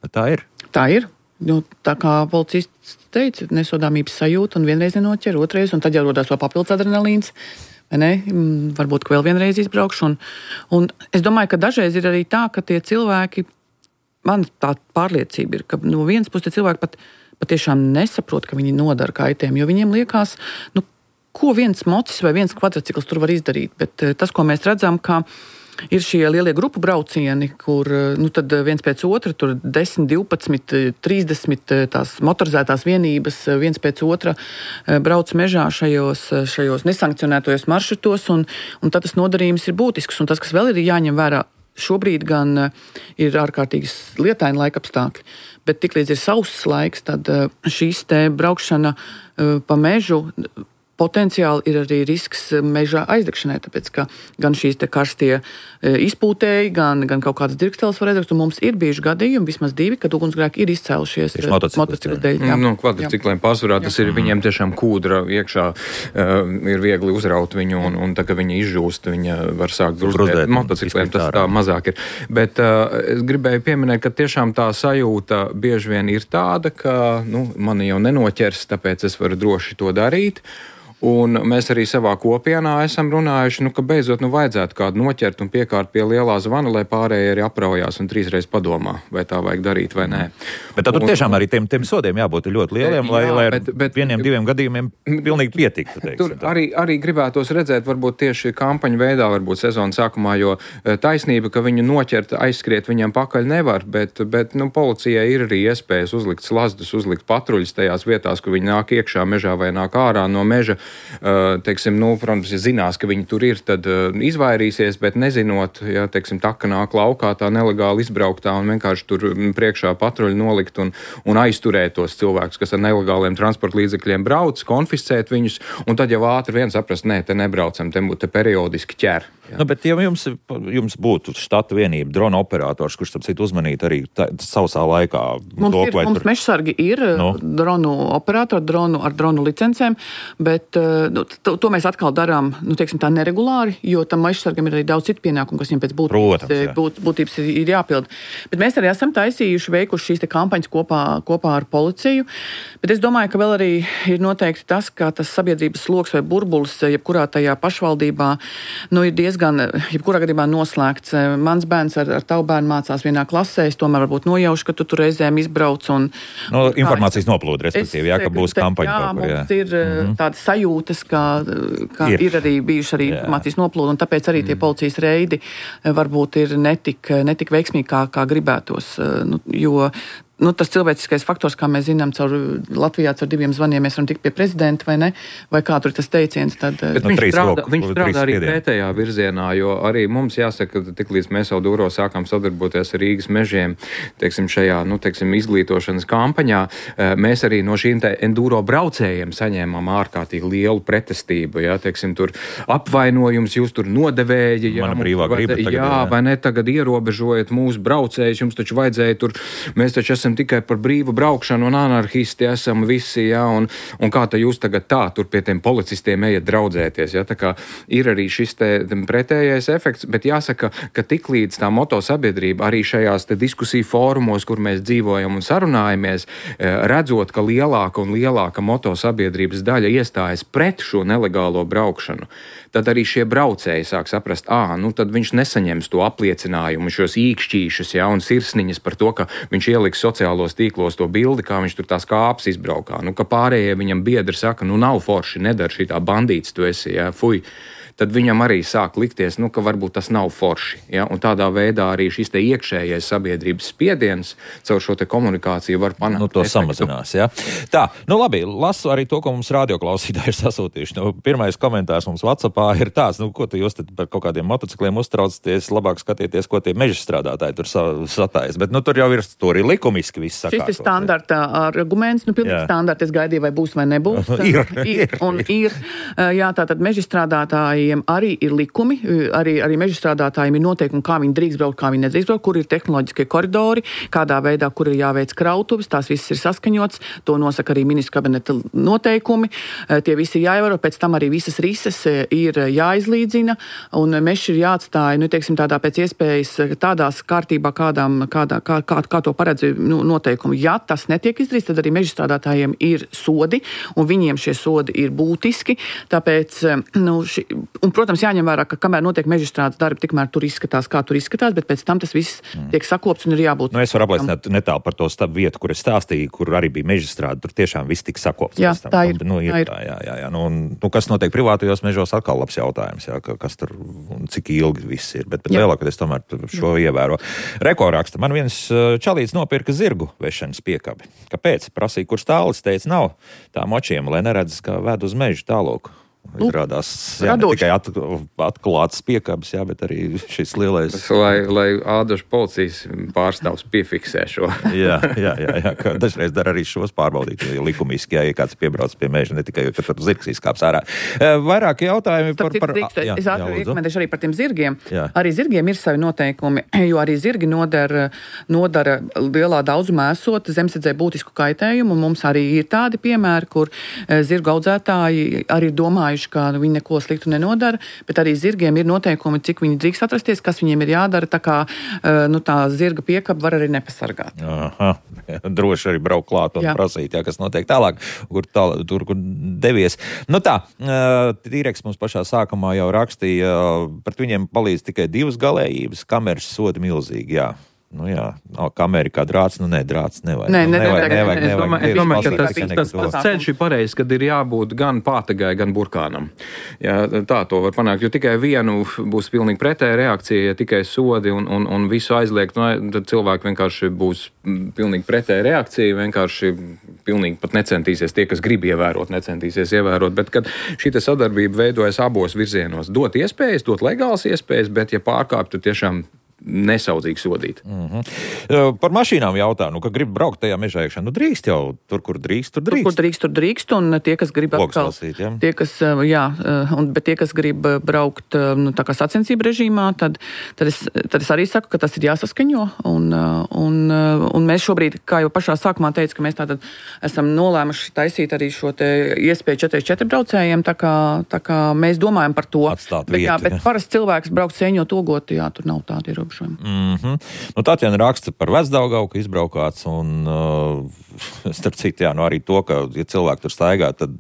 S1: bet tā ir.
S2: Tā ir. Tā kā policists teica, nesodāmības sajūta un vienreiz nenoķer, otrais, un tad jau rodās vēl papildus adrenalīns. Varbūt vēl vienreiz izbraukšu. Un es domāju, ka dažreiz ir arī tā, ka tie cilvēki, man tā pārliecība ir, ka no vienas puses tie cilvēki patiešām nesaprot, ka viņi nodara kaitējumu, jo viņiem liekas, ko viens mocis vai viens kvadrcikls tur var izdarīt. Bet tas, ko mēs redzam, ka ir šie lielie grupu braucieni, kur tad viens pēc otra, tur 10, 12, 30 tās motorizētās vienības viens pēc otra brauc mežā šajos nesankcionētojos maršrutos, un tad tas nodarījums ir būtisks. Un tas, kas vēl ir jāņem vērā, šobrīd gan ir ārkārtīgi lietaini laikapstākļi, bet tiklīdz ir sauss laiks, tad šīs te braukšana pa mežu potenciāli ir arī risks meža aizdegšanai, tāpēc, ka gan šīs te karstie izpūtēji, gan kaut kādas dzirksteles var aizdegt, un mums ir bijuši gadījumi, vismaz 2, kad ugunsgrēki ir izcēlušies motociklu dēļ.
S3: Kvadricikliem pārsvarā tas ir viņiem tiešām kūdra iekšā, ir viegli uzraut viņu, un tā, ka viņi izžūst, viņa var sākt grūzdēt. Motocikliem tas tā mazāk ir. Bet es gribēju pieminēt, ka tiešām tā sajūta bieži vien ir tāda, ka mani jau nenoķers, tāpēc es varu droši to darīt. Un mēs arī savā kopienā esam runājuši, ka beidzot vajadzētu kādu noķert un piekārt pie lielā zvana, lai pārējie arī apraujās un 3 reizes padomā, vai tā vajag darīt vai nē.
S1: Bet tad tur tiešām arī tiem sodiem jābūt ļoti lieliem, lai ar 1-2 gadījumiem pilnīgi pietiktu.
S3: Tur arī gribētos redzēt, varbūt tieši kampaņu veidā, varbūt sezonas sākumā, jo taisnība, ka viņu noķert, aizskriet viņam pakaļ nevar, bet policijai ir arī iespējas uzlikt slazdus, uzlikt patruļus tajās vietās, kur viņi nāk iekšā mežā vai nāk ārā no meža. Protams, ja zinās, ka viņi tur ir, tad izvairīsies, bet nezinot, ja, taka nāk laukā tā nelegāli izbrauktā un vienkārši tur priekšā patruļi nolikt un aizturēt tos cilvēkus, kas ar nelegāliem transporta līdzekļiem brauc, konfiscēt viņus, un tad jau ātri vien saprast, nē, te nebraucam, te periodiski ķer. Ja.
S1: Bet ja jums būtu štata vienība, drona operators, kurš tam citu uzmanīt arī sausā laikā?
S2: Mums mežsargi ir dronu operatori, ar dronu licencēm, bet to mēs atkal darām, tā neregulāri, jo tam mežsargam ir arī daudz citu pienākumu, kas viņam pēc būtības ir jāpild. Bet mēs arī esam veikuši šīs te kampaņas kopā ar policiju, bet es domāju, ka vēl arī ir noteikti tas, ka tas sabiedrības sloks vai burbulis, jebkurā tajā pašvaldībā, ir diezgan jebkurā gadījumā noslēgts. Mans bērns ar tavu bērnu mācās vienā klasē, es tomēr varbūt nojaušu, ka tu tur reizēm izbrauc.
S1: Informācijas noplūde, respektīvi, ka būs kampaņa.
S2: Mums ir tādas sajūtas, ka ir arī bijuši arī informācijas noplūde, un tāpēc arī tie policijas reidi varbūt ir netik veiksmīgi, kā gribētos. Jo tas cilvēciskais faktors, kā mēs zinām, Latvijā caur 2 zvaniem mēs varam tikt pie prezidenta, vai ne? Vai kā tur ir tas teiciens? Tad,
S3: viņš strādā arī pretējā virzienā, jo arī mums jāsaka, ka tiklīdz mēs jau Dūro sākām sadarboties ar Rīgas mežiem, šajā, izglītošanas kampaņā, mēs arī no šīm enduro braucējiem saņēmām ārkārtīgi lielu pretestību, ja, tur apvainojums, jūs tur nodevēji,
S1: Mana brīvā griba tagad,
S3: vai ne, tagad ierobežojat mūsu braucējus, jums taču vajadzēja tur, mēs taču esam tikai par brīvu braukšanu un anarhisti esam visi, ja, un kā tā jūs tagad tur pie tiem policistiem ejat draudzēties, ja, tā kā ir arī šis pretējais efekts, bet jāsaka, ka tiklīdz tā motosabiedrība arī šajās diskusiju fórumos, kur mēs dzīvojam un sarunājamies, redzot, ka lielāka un lielāka motosabiedrības daļa iestājas pret šo nelegālo braukšanu, tad arī šie braucēji sāk saprast, tad viņš nesaņems to apliecinājumu, šos īkšķīšus, ja, un sirsniņas par to, ka viņš ieliks sociālos tīklos to bildi, kā viņš tur tās kāpes izbraukā. Ka pārējie viņam biedri saka, nav forši, nedara šitā bandīts tu esi, ja, fuj. Tad viņam arī sāk likties, ka varbūt tas nav forši. Ja? Un tādā veidā arī šis iekšējais sabiedrības spiediens caur šo komunikāciju var panākt.
S1: To samazinās, ja? Tā, labi, lasu arī to, ko mums radioklausītāji ir sasūtījuši. Pirmais komentārs mums WhatsAppā ir tāds, ko tu jūs par kaut kādiem motocikliem uztraucaties, labāk skatieties, ko tie meža strādātāji tur satājas. Bet tur jau ir likumiski viss sakārtot.
S2: Šis ir standarta arguments, pilnīgi standarta. Es gaidīju, vai būs vai nebūs. Ir. Jā, tātad meža strādātāji strādātājiem arī ir likumi, arī meža strādātājiem ir noteikumi, kā viņi drīkst braukt, kā viņi nedrīkst braukt, kur ir tehnoloģiskie koridori, kādā veidā, kur ir jāveic krautuves, tās viss ir saskaņots, to nosaka arī ministru kabineta noteikumi, tie visi jāievēro, pēc tam arī visas rises ir jāizlīdzina, un mežs ir jāatstāja, teiksim, tādā pēc iespējas tādās kārtībā, kā to paredz noteikumi. Ja tas netiek izdarīts, tad arī meža strādātājiem ir sodi, un viņiem šie sodi ir būtiski, tāpēc, un, protams, jāņem vērā, ka kamēr notiek mežstrādes darbi, tikmēr tur izskatās, kā tur izskatās, bet pēc tam tas viss tiek sakopts un ir jābūt.
S1: Es varu apliecināt netālu par to stabu vietu, kur es stāstīju, kur arī bija mežstrāde, tur tiešām viss tika sakopts.
S2: Jā, tā ir.
S1: Jā. Kas notiek privātajos mežos, atkal labs jautājums, jā, kas tur, cik ilgi viss ir, bet lielākoties tomēr šo ievēro. Rekorraksta, man viens čalīts nopirka zirgu vešanas piekabi. Kāpēc? Prasīja, kur stālis, teica, nav tā močiem, lai neredz, ka ved uz mežu tālūk. Izrādās, ne tikai atklāts piekabis, bet arī šis lielais.
S3: Lai ādažu policijas pārstāvs piefiksē šo.
S1: jā, ka dažreiz dara arī šos pārbaudīt, jo likumiski, ja kāds piebrauc pie meža, ne tikai, ka tur zirgs izkāps ārā. Vairāk jautājumi par...
S2: Es iekomentēšu arī par tiem zirgiem. Jā. Arī zirgiem ir savi noteikumi, jo arī zirgi nodara lielā daudzumā esot zemesardzei būtisku kaitējumu, un mums arī ir tādi piemēri, kur zirgu audzētāji arī domājuši, ka viņi neko sliktu nenodara, bet arī zirgiem ir noteikumi, cik viņi drīkst atrasties, kas viņiem ir jādara, tā kā tā zirga piekaba var arī nepasargāt.
S1: Aha, droši arī braukt klāt un prasīt, kas notiek tālāk, kur devies. Tīreks mums pašā sākumā jau rakstīja, pret viņiem palīdz tikai 2 galējības, kameras sodi milzīgi, kameri kā drāts, drāts nevajag.
S3: Nevajag. Es domāju, ka tas ceļš ir pareizs, kad ir jābūt gan pātagai, gan burkānam. Ja, tā to var panākt, jo tikai vienu būs pilnīgi pretēja reakcija, ja tikai sodi un visu aizliegt, tad cilvēki vienkārši būs pilnīgi pretēja reakcija, vienkārši pilnīgi pat necentīsies, tie, kas grib ievērot, necentīsies ievērot, bet kad šī sadarbība veidojas abos virzienos, dot iespējas, dot legālas iespējas, bet ja pārkāpt, tad tiešām nesaudzīgi sodīt.
S1: Par mašīnām jautāju, ka grib braukt tajā mežā iekšā. Drīkst jau, tur, kur drīkst, tur drīkst.
S2: Tur drīkst, un tie, kas grib atkal, bet tie, kas grib braukt tā kā sacensību režīmā, tad es arī saku, ka tas ir jāsaskaņo, un mēs šobrīd, kā jau pašā sākumā teicu, ka mēs tātad esam nolēmuši taisīt arī šo te iespēju 4x4 braucējiem, tā kā mēs domājam par to. Bet parasti cilvēks braukt sēņot ogot, tur nav tādi ierobežojumi.
S1: Tatjana raksta par Vecdaugavu, ka izbraukāts, un starp citu, arī to, ka, ja cilvēki tur staigā, tad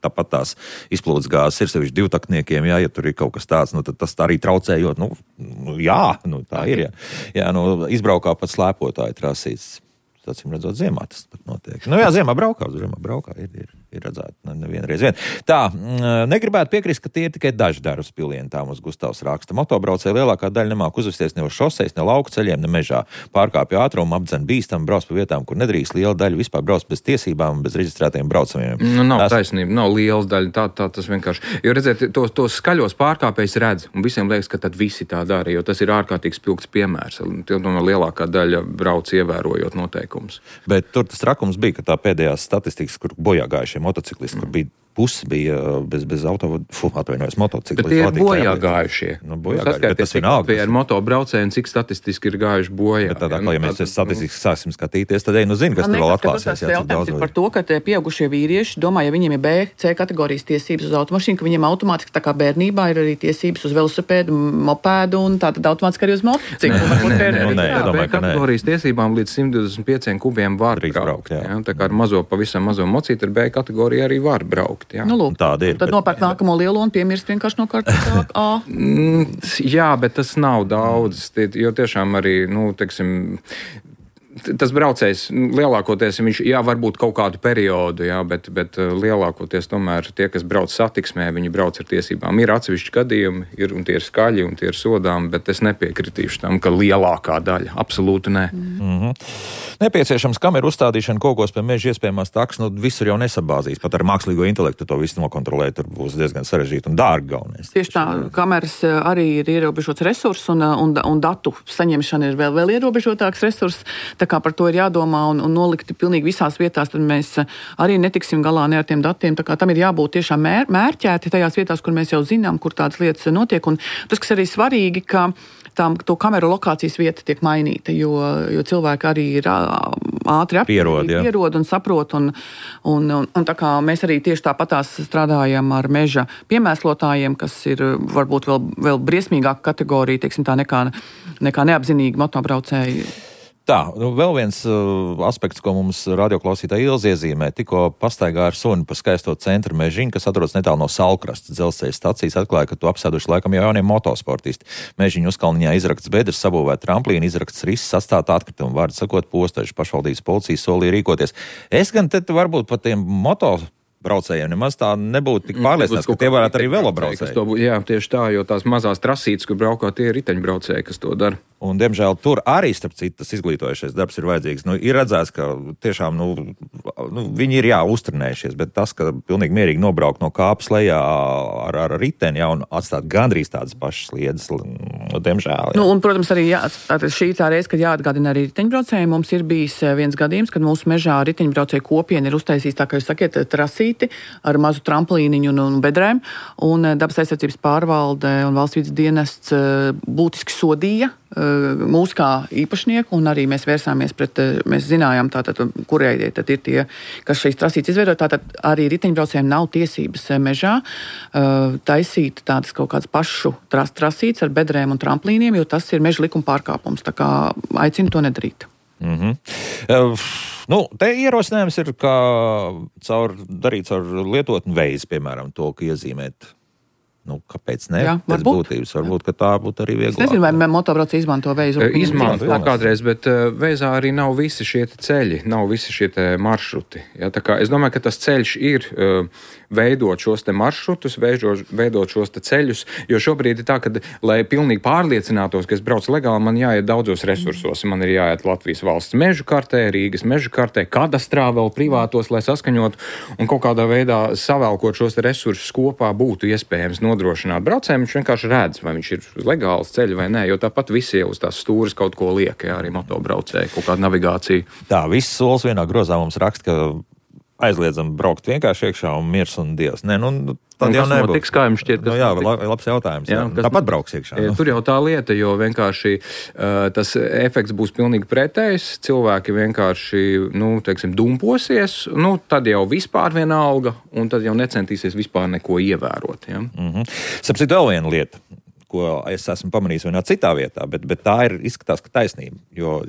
S1: tāpat tās izplūdes gāzes ir sevišķi divtakniekiem, ja tur ir kaut kas tāds, tad tas arī traucējot, tā ir, izbraukā pat slēpotāji trasīts. Acīm redzot, ziemā tas pat notiek. Ziemā braukā, ir redzēta nevienreiz vien. Tā, negribētu piekrist, ka tie ir tikai daži darbs pilienām uz Gustavs raksta. Motobraucēji lielākā daļa nemāk uzvesties ne uz šoseis, ne lauku ceļiem, ne mežā. Pārkāpja ātrumu, apdzen bīstam, brauc pa vietām, kur nedrīkst. Liela daļa vispār brauc bez tiesībām, bez reģistrētajiem braucamiem.
S3: Nav taisnība, nav liela daļa, tā tas vienkārši. Jo redziet, tos skaļos pārkāpējus redz, un visiem liekas, ka tad visi tā dara, jo tas ir ārkārtīgi spilgts piemērs. Lielākā daļa brauc ievērojot noteikumus.
S1: Bet tur tas trakums bija, ka tā pēdējās statistikas, kur bojā gājušie motociklisti, kur bija pusi bija bez motociklisti.
S3: Bet tie ir bojā gājušie.
S1: Tas vienalga.
S3: Ar motobraucējiem, cik statistiski ir gājuši bojā.
S1: Bet tādā, ja mēs statistiski sāksim skatīties, tad zini, kas tur vēl atklāsies.
S2: Tas jautājums ir par to, ka tie pieaugušie vīrieši domā, ja viņiem ir B, C kategorijas tiesības uz automašīnu, ka viņiem automātiski tā kā bērnībā ir arī tiesības uz velosipēdu, mopēdu un tātad automātiski arī uz motociklu.
S3: B kategorijas tiesībām līdz 125 kubiem var braukt. Tā kā ar pavisam mazo mocīti ar B kategoriju arī var braukt.
S1: Tāda ir.
S2: Tad nopērk nākamo lielo un piemirst vienkārši no kārtas A.
S3: Jā, bet tas nav daudz, jo tiešām arī, teiksim, tas braucējs lielākoties, viņš, varbūt kaut kādu periodu, bet lielākoties tomēr tie, kas brauc satiksmē, viņi brauc ar tiesībām. Ir atsevišķi gadījumi, un tie ir skaļi, un tie ir sodām, bet es nepiekritīšu tam, ka lielākā daļa. Absolūti nē.
S1: Nepieciešams kameru uzstādīšana kokos pie meža iespējamās takas, visur jau nesabāzīs. Pat ar mākslīgo intelektu to visu nokontrolēt, tur būs diezgan sarežģīti un dārgi galvenais.
S2: Tieši tā, kameras arī ir ierobežots resurs, un datu saņemšana ir vēl ierobežotāks resurs. Tā tā kā par to ir jādomā un nolikti pilnīgi visās vietās, tad mēs arī netiksim galā ne ar tiem datiem. Tā kā tam ir jābūt tiešām mērķēti tajās vietās, kur mēs jau zinām, kur tādas lietas notiek. Un tas, kas arī svarīgi, ka to kameru lokācijas vieta tiek mainīta, jo cilvēki arī ir ātri pierod un saprot. Un tā kā mēs arī tieši tāpatās strādājam ar meža piemēslotājiem, kas ir varbūt vēl briesmīgāka kategorija, teiksim tā, nekā neapzinīgi motobraucēji.
S1: Tā, vēl viens aspekts, ko mums radioklausītāja Ilze iezīmē, tikko pastaigā ar suni pa skaisto centra mežiņu, kas atrodas netālu no Salkrastas dzelzceļa stacijas, atklāja, ka to apsēduši laikam jau jaunie motosportisti. Mežiņu uzkalniņā izrakts bedres, sabūvēt tramplīnu, izrakts risks, atstāt atkritumu, vārdu sakot, postaži pašvaldības policija solīja rīkoties. Es gan te varbūt pat tiem braucējiem nemaz tā nebūtu tik pārliecināts, ka tie varētu arī velobraucēji.
S3: Jā, tieši tā, jo tās mazās trasītes, kur braukā, tie ir riteņbraucēji, kas to dara.
S1: Un, diemžēl, tur arī, starp citu, tas izglītojušais darbs ir vajadzīgs. Ir redzēts, ka tiešām, viņi ir uztrenējušies, bet tas, ka pilnīgi mierīgi nobraukt no kāpas lejā ar riteni, un atstāt gandrīz tādas pašas sliedes, diemžēl.
S2: Un, protams, arī šī tā reize, kad jāatgādina arī riteņbraucēji. Mums ir bijis viens gadījums, kad mūsu mežā riteņbraucēju kopiena ir uztaisījis, tā kā jūs sakiet, trasīti ar mazu tramplīniņu un bedrēm, un Dabas aizsardzības pārvalde un valsts vides dienests būtiski sodīja mūsu kā īpašnieku, un arī mēs vērsāmies pret, mēs zinājām tātad, kurai tad ir tie, kas šīs trasītes izveido, tātad arī riteņbraucējiem nav tiesības mežā taisīt tādas kaut kādas pašu trasītes ar bedrēm un tramplīniem, jo tas ir meža likuma pārkāpums, tā kā aicinu to nedarīt.
S1: Te ierosinājums ir, kā darīt caur lietotni veizi, piemēram, to, ka iezīmēt. Kāpēc ne? Pēc būtības. Varbūt, ka tā būtu arī vieglāk.
S2: Es nezinu, vai motobraucēji izmanto veizu.
S3: Izmanto kādreiz, bet veizā arī nav visi šie ceļi, nav visi šie maršruti. Ja, tā kā es domāju, ka tas ceļš ir veidot šos te maršrutus, veidot šos te ceļus, jo šobrīd ir tā, ka, lai pilnīgi pārliecinātos, ka es braucu legāli, man jāiet daudzos resursos. Man ir jāiet Latvijas valsts mežu kartē, Rīgas mežu kartē, kadastrā vēl privātos, lai saskaņot un kaut kādā veidā savēlkot šos te resursus kopā būtu iespējams nodrošināt braucējiem. Viņš vienkārši redz, vai viņš ir uz legāls ceļa vai nē, jo tāpat visi jau uz tās stūras kaut ko liek, arī motobraucēji, kaut kāda navigācija.
S1: Tā, viss solis vienā grozā mums raksta, ka aizliedzam braukt vienkārši iekšā un miers un dievs. Nē, tad jau nebūs.
S3: Tiks, kā jums šķiet?
S1: Labs jautājums. Tāpat brauks iekšā.
S3: Tur jau tā lieta, jo vienkārši tas efekts būs pilnīgi pretējs. Cilvēki vienkārši, dumposies, tad jau vispār vienalga, un tad jau necentīsies vispār neko ievērot. Ja?
S1: Sapcīt vēl viena lieta, ko es esmu pamanījis vienā citā vietā, bet tā izskatās, ka taisnība. Jo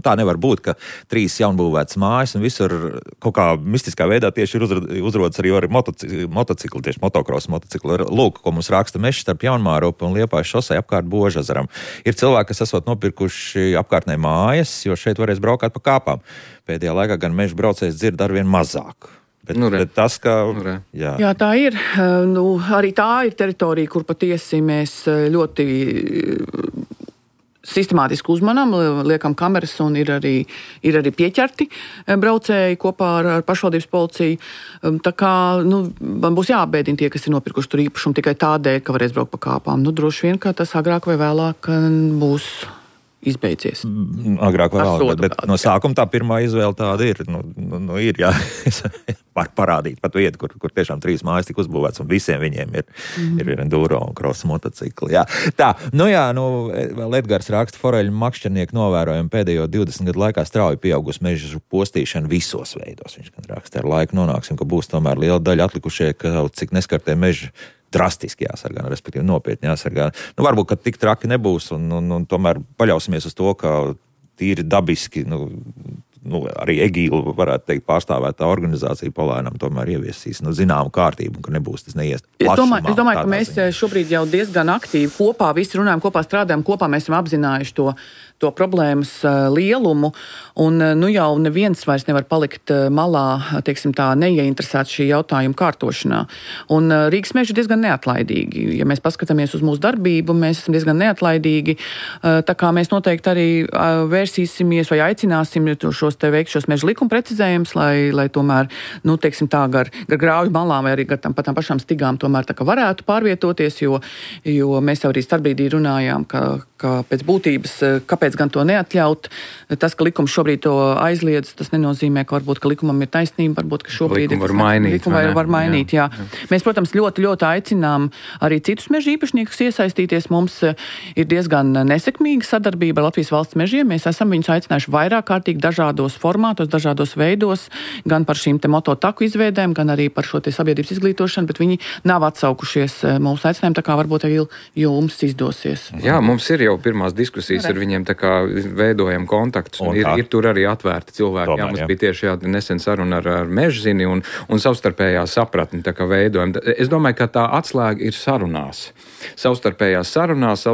S1: tā nevar būt, ka 3 jaunbūvētas mājas un visur kaut kā mistiskā veidā tieši ir uzrodas arī motocikli, tieši motokrosa motocikli. Lūk, ko mums raksta mežs starp Jaunmārupi un Liepājas šosei apkārt Božazaram. Ir cilvēki, kas esot nopirkuši apkārtnē mājas, jo šeit varēs braukāt pa kāpām. Pēdējā laikā gan meža braucējs dzird arvien mazāk. Bet tas, ka...
S2: Jā, tā ir. Arī tā ir teritorija, kur patiesi mēs ļoti sistemātiski uzmanām, liekam kameras un ir arī pieķerti braucēji kopā ar pašvaldības policiju. Tā kā man būs jāapbēdina tie, kas ir nopirkuši tur īpašumu tikai tādēļ, ka varēs braukt pa kāpām. Droši vien, ka tas agrāk vai vēlāk būs izbeidzies.
S1: Agrāk vai vēlāk, bet no sākuma tā pirmā izvēle tāda ir. Ir, jā, var parādīt pat vietu, kur tiešām 3 mājas tika uzbūvēts, un visiem viņiem ir enduro un cross motocikli. Jā. Tā, vēl Edgars raksta, foreļu makšķernieku novērojumi pēdējo 20 gadu laikā strauji pieaugusi mežu postīšana visos veidos. Viņš gan raksta, ar laiku nonāksim, ka būs tomēr liela daļa atlikušie, ka cik neskartie meži drastiski jāsargā, respektīvi nopietni jāsargā. Varbūt, ka tik traki nebūs, un tomēr paļausimies uz to, ka tīri dabiski, arī Egīla, varētu teikt, pārstāvētā organizācija palēnām tomēr ieviesīs zināmu kārtību, un ka nebūs tas neiest plašumā. Es domāju, ka mēs šobrīd jau diezgan aktīvi kopā, visi runājam kopā, strādājam kopā, mēs esam apzinājuši to problēmas lielumu, un jau neviens vairs nevar palikt malā, teiksim tā, neieinteresēts šī jautājuma kārtošanā. Un Rīgas meži ir diezgan neatlaidīgi. Ja mēs paskatāmies uz mūsu darbību, mēs esam diezgan neatlaidīgi, tā kā mēs noteikti arī vērsīsimies vai aicināsim šos
S2: šos te veikt šos meža likuma precizējumus, lai tomēr, nu, teiksim tā, gar grauju malām vai arī gar tām pašām stigām tomēr tā kā varētu pārvietoties, jo mēs jau arī starpbrīdī runājām, ka pēc būtības, kāpēc gan to neatļaut. Tas, ka likums šobrīd to aizliedz, tas nenozīmē, ka varbūt, ka likumam ir taisnība, varbūt, ka šobrīd
S3: likumu var mainīt.
S2: Jā. Mēs, protams, ļoti, ļoti aicinām arī citus meža īpašniekus iesaistīties. Mums ir diezgan nesekmīga sadarbība ar Latvijas valsts mežiem. Mēs esam viņus aicinājuši vairāk kārtīgi dažādos formātos, dažādos veidos, gan par šīm te mototaku izveidēm, gan arī par šo te sabiedrības izglītošanu, bet viņi nav atsaukušies mūsu aicinājumu, tā kā varbūt arī jums izdosies.
S3: Jā, mums ir jau pirmās diskusijas ar viņiem, tā kā veidojam kontaktus, un ir tur arī atvērti cilvēki. Jā, mums bija tieši nesen saruna ar Mežzini un savstarpējā sapratni, tā kā veidojam. Es domāju, ka tā atslēga ir sarunās. Savstarpējās sarunās,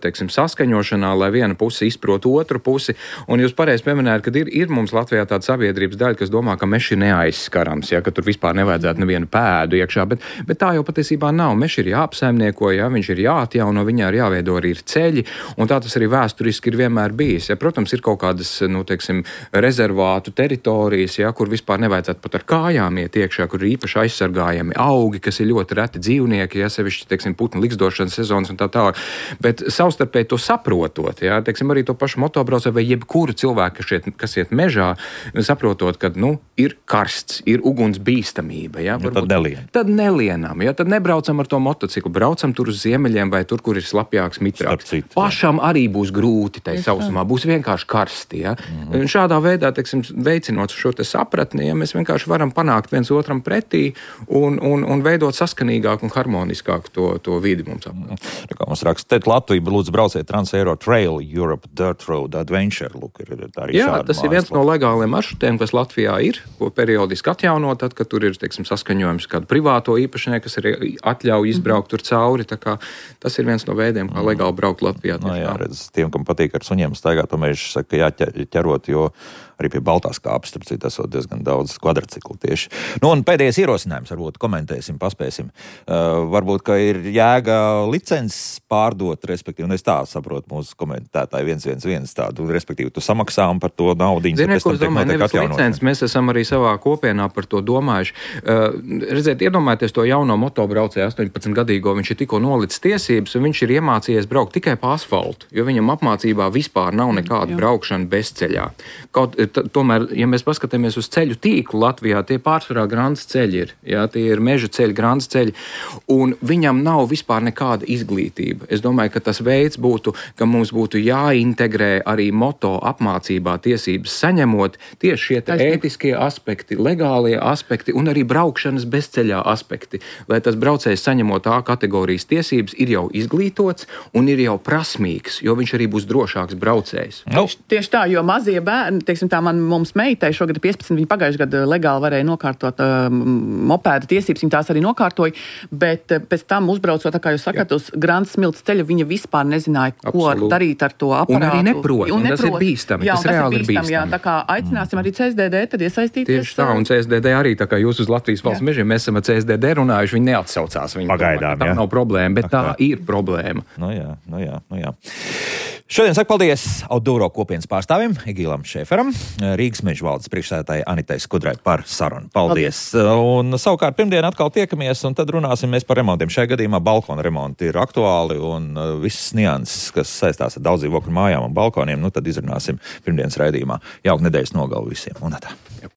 S3: teiksim, saskaņošanā, lai viena puse izprot otru pusi. Un jūs pareizi pieminējat, ka ir mums Latvijā tāda sabiedrības daļa, kas domā, ka mežs ir neaizskarams, ja, ka tur vispār nevajadzētu nevienu pēdu iekšā, bet tā jau patiesībā nav. Mežs ir jāapsaimnieko, ja, viņš ir jāatjauno, viņā ir jāveido arī ceļi, un tā tas arī vēsturiski ir vienmēr bijis. Ja, protams, ir kaut kādas, nu, teiksim, rezervātu teritorijas, ja, kur vispār nevajadzētu pat ar kājām iet iekšā, kur ir īpaši aizsargājami augi, kas ir ļoti reti dzīvnieki, ja, sevišķi, teiksim, putnu likstošanas sezonas un tā tālāk. Bet savstarpēji to saprotot, ja, teiksim, arī to pašu motobraucēju vai jebkuru cilvēku, kas iet mežā, saprotot, ka, nu, ir karsts, ir uguns bīstamība, ja, tad nelienam, ja, tad nebraucam ar to motociklu, braucam tur uz ziemeļiem vai tur, kur ir slapjāks, mitrāks. Pašam arī būs grūti tai sausumā, būs vienkārši karsti, ja. Šādā veidā, teiksim, veicinot šo te sapratni, ja, mēs vienkārši varam panākt viens otram pretī un veidot saskanīgāku un harmoniskāku to vidi mums apkārt.
S1: Kā mums raksta, Latvija, lūdzu, brauciet Trans-Eiro Trail Europe Dirt Road Adventure. Lūk,
S3: jā, tas ir viens no legāliem maršrutiem, kas Latvijā ir, ko periodiski atjaunot, tad, kad tur ir, teiksim, saskaņojums kādu privāto īpašnieku, kas arī atļauj izbraukt tur cauri. Tā kā tas ir viens no veidiem, kā legāli braukt Latvijā.
S1: No, jā, redz, tiem, kam patīk ar suņiem staigāt pa mežu, saka, jāķerot, jo arī pie Baltās kāpes, starp citu, esot diezgan daudz kvadrciklu tieši. Nu, un pēdējais ierosinājums, varbūt komentēsim, paspēsim. Varbūt, ka ir jēga licences pārdot, respektīvi, un es tā saprotu mūsu komentētāji 111 tādu, respektīvi, tu samaksā par to naudiņu.
S3: Ziniet, ko es domāju, nevis licences, mēs esam arī savā kopienā par to domājuši. Redziet, iedomājieties to jauno motobraucēju 18-gadīgo, viņš ir tikko nolicis tiesības, un viņš ir iemācījies braukt tikai pa asfaltu, jo viņam apmācībā vispār nav nekāda braukšana bezceļā. Tomēr, ja mēs paskatāmies uz ceļu tīklu Latvijā, tie pārsvarā grandas ceļi ir, jā, tie ir meža ceļi, grandas ceļi, un viņam nav vispār nekāda izglītība. Es domāju, ka tas veids būtu, ka mums būtu jāintegrē arī moto apmācībā tiesības saņemot tieši šie ētiskie aspekti, legālie aspekti un arī braukšanas bezceļā aspekti, lai tas braucējs saņemot A kategorijas tiesības ir jau izglītots un ir jau prasmīgs, jo viņš arī būs drošāks braucējs.
S2: Tieši tā, jo mazie bērni, teiksim, tā mums meitai šogad 15, viņa pagājušajā gadā legāli varēja nokārtot mopēda tiesības, viņa tās arī nokārtoja, bet pēc tam uzbraucot, tā kā jūs sakat, uz Grandas smilts ceļa, viņa vispār nezināja, ko darīt ar to aparātu.
S3: Un arī neprot, un tas ir bīstami,
S2: jā,
S3: tas reāli ir bīstami.
S2: Jā, tā kā aicināsim arī CSDD tad iesaistīties.
S3: Tieši tā, un CSDD arī, tā kā jūs uz Latvijas valsts mežiem, mēs esam ar CSDD runājuši, viņi neatsaucās. Viņi
S1: pagaidām,
S3: tā nav problēma, bet tā ir problēma.
S1: Nu jā. Šodien saku paldies Outdooro kopienas pārstāvim Egīlam Šēferam, Rīgas meža valdes priekšsēdētāji Anitai Skudrai par sarunu. Paldies! Un savukārt pirmdien atkal tiekamies, un tad runāsim mēs par remontiem. Šajā gadījumā balkona remonti ir aktuāli, un visas nianses, kas saistās ar daudz dzīvokļu mājām un balkoniem, nu tad izrunāsim pirmdienas raidījumā. Jauka nedēļas nogalu visiem. Un tā.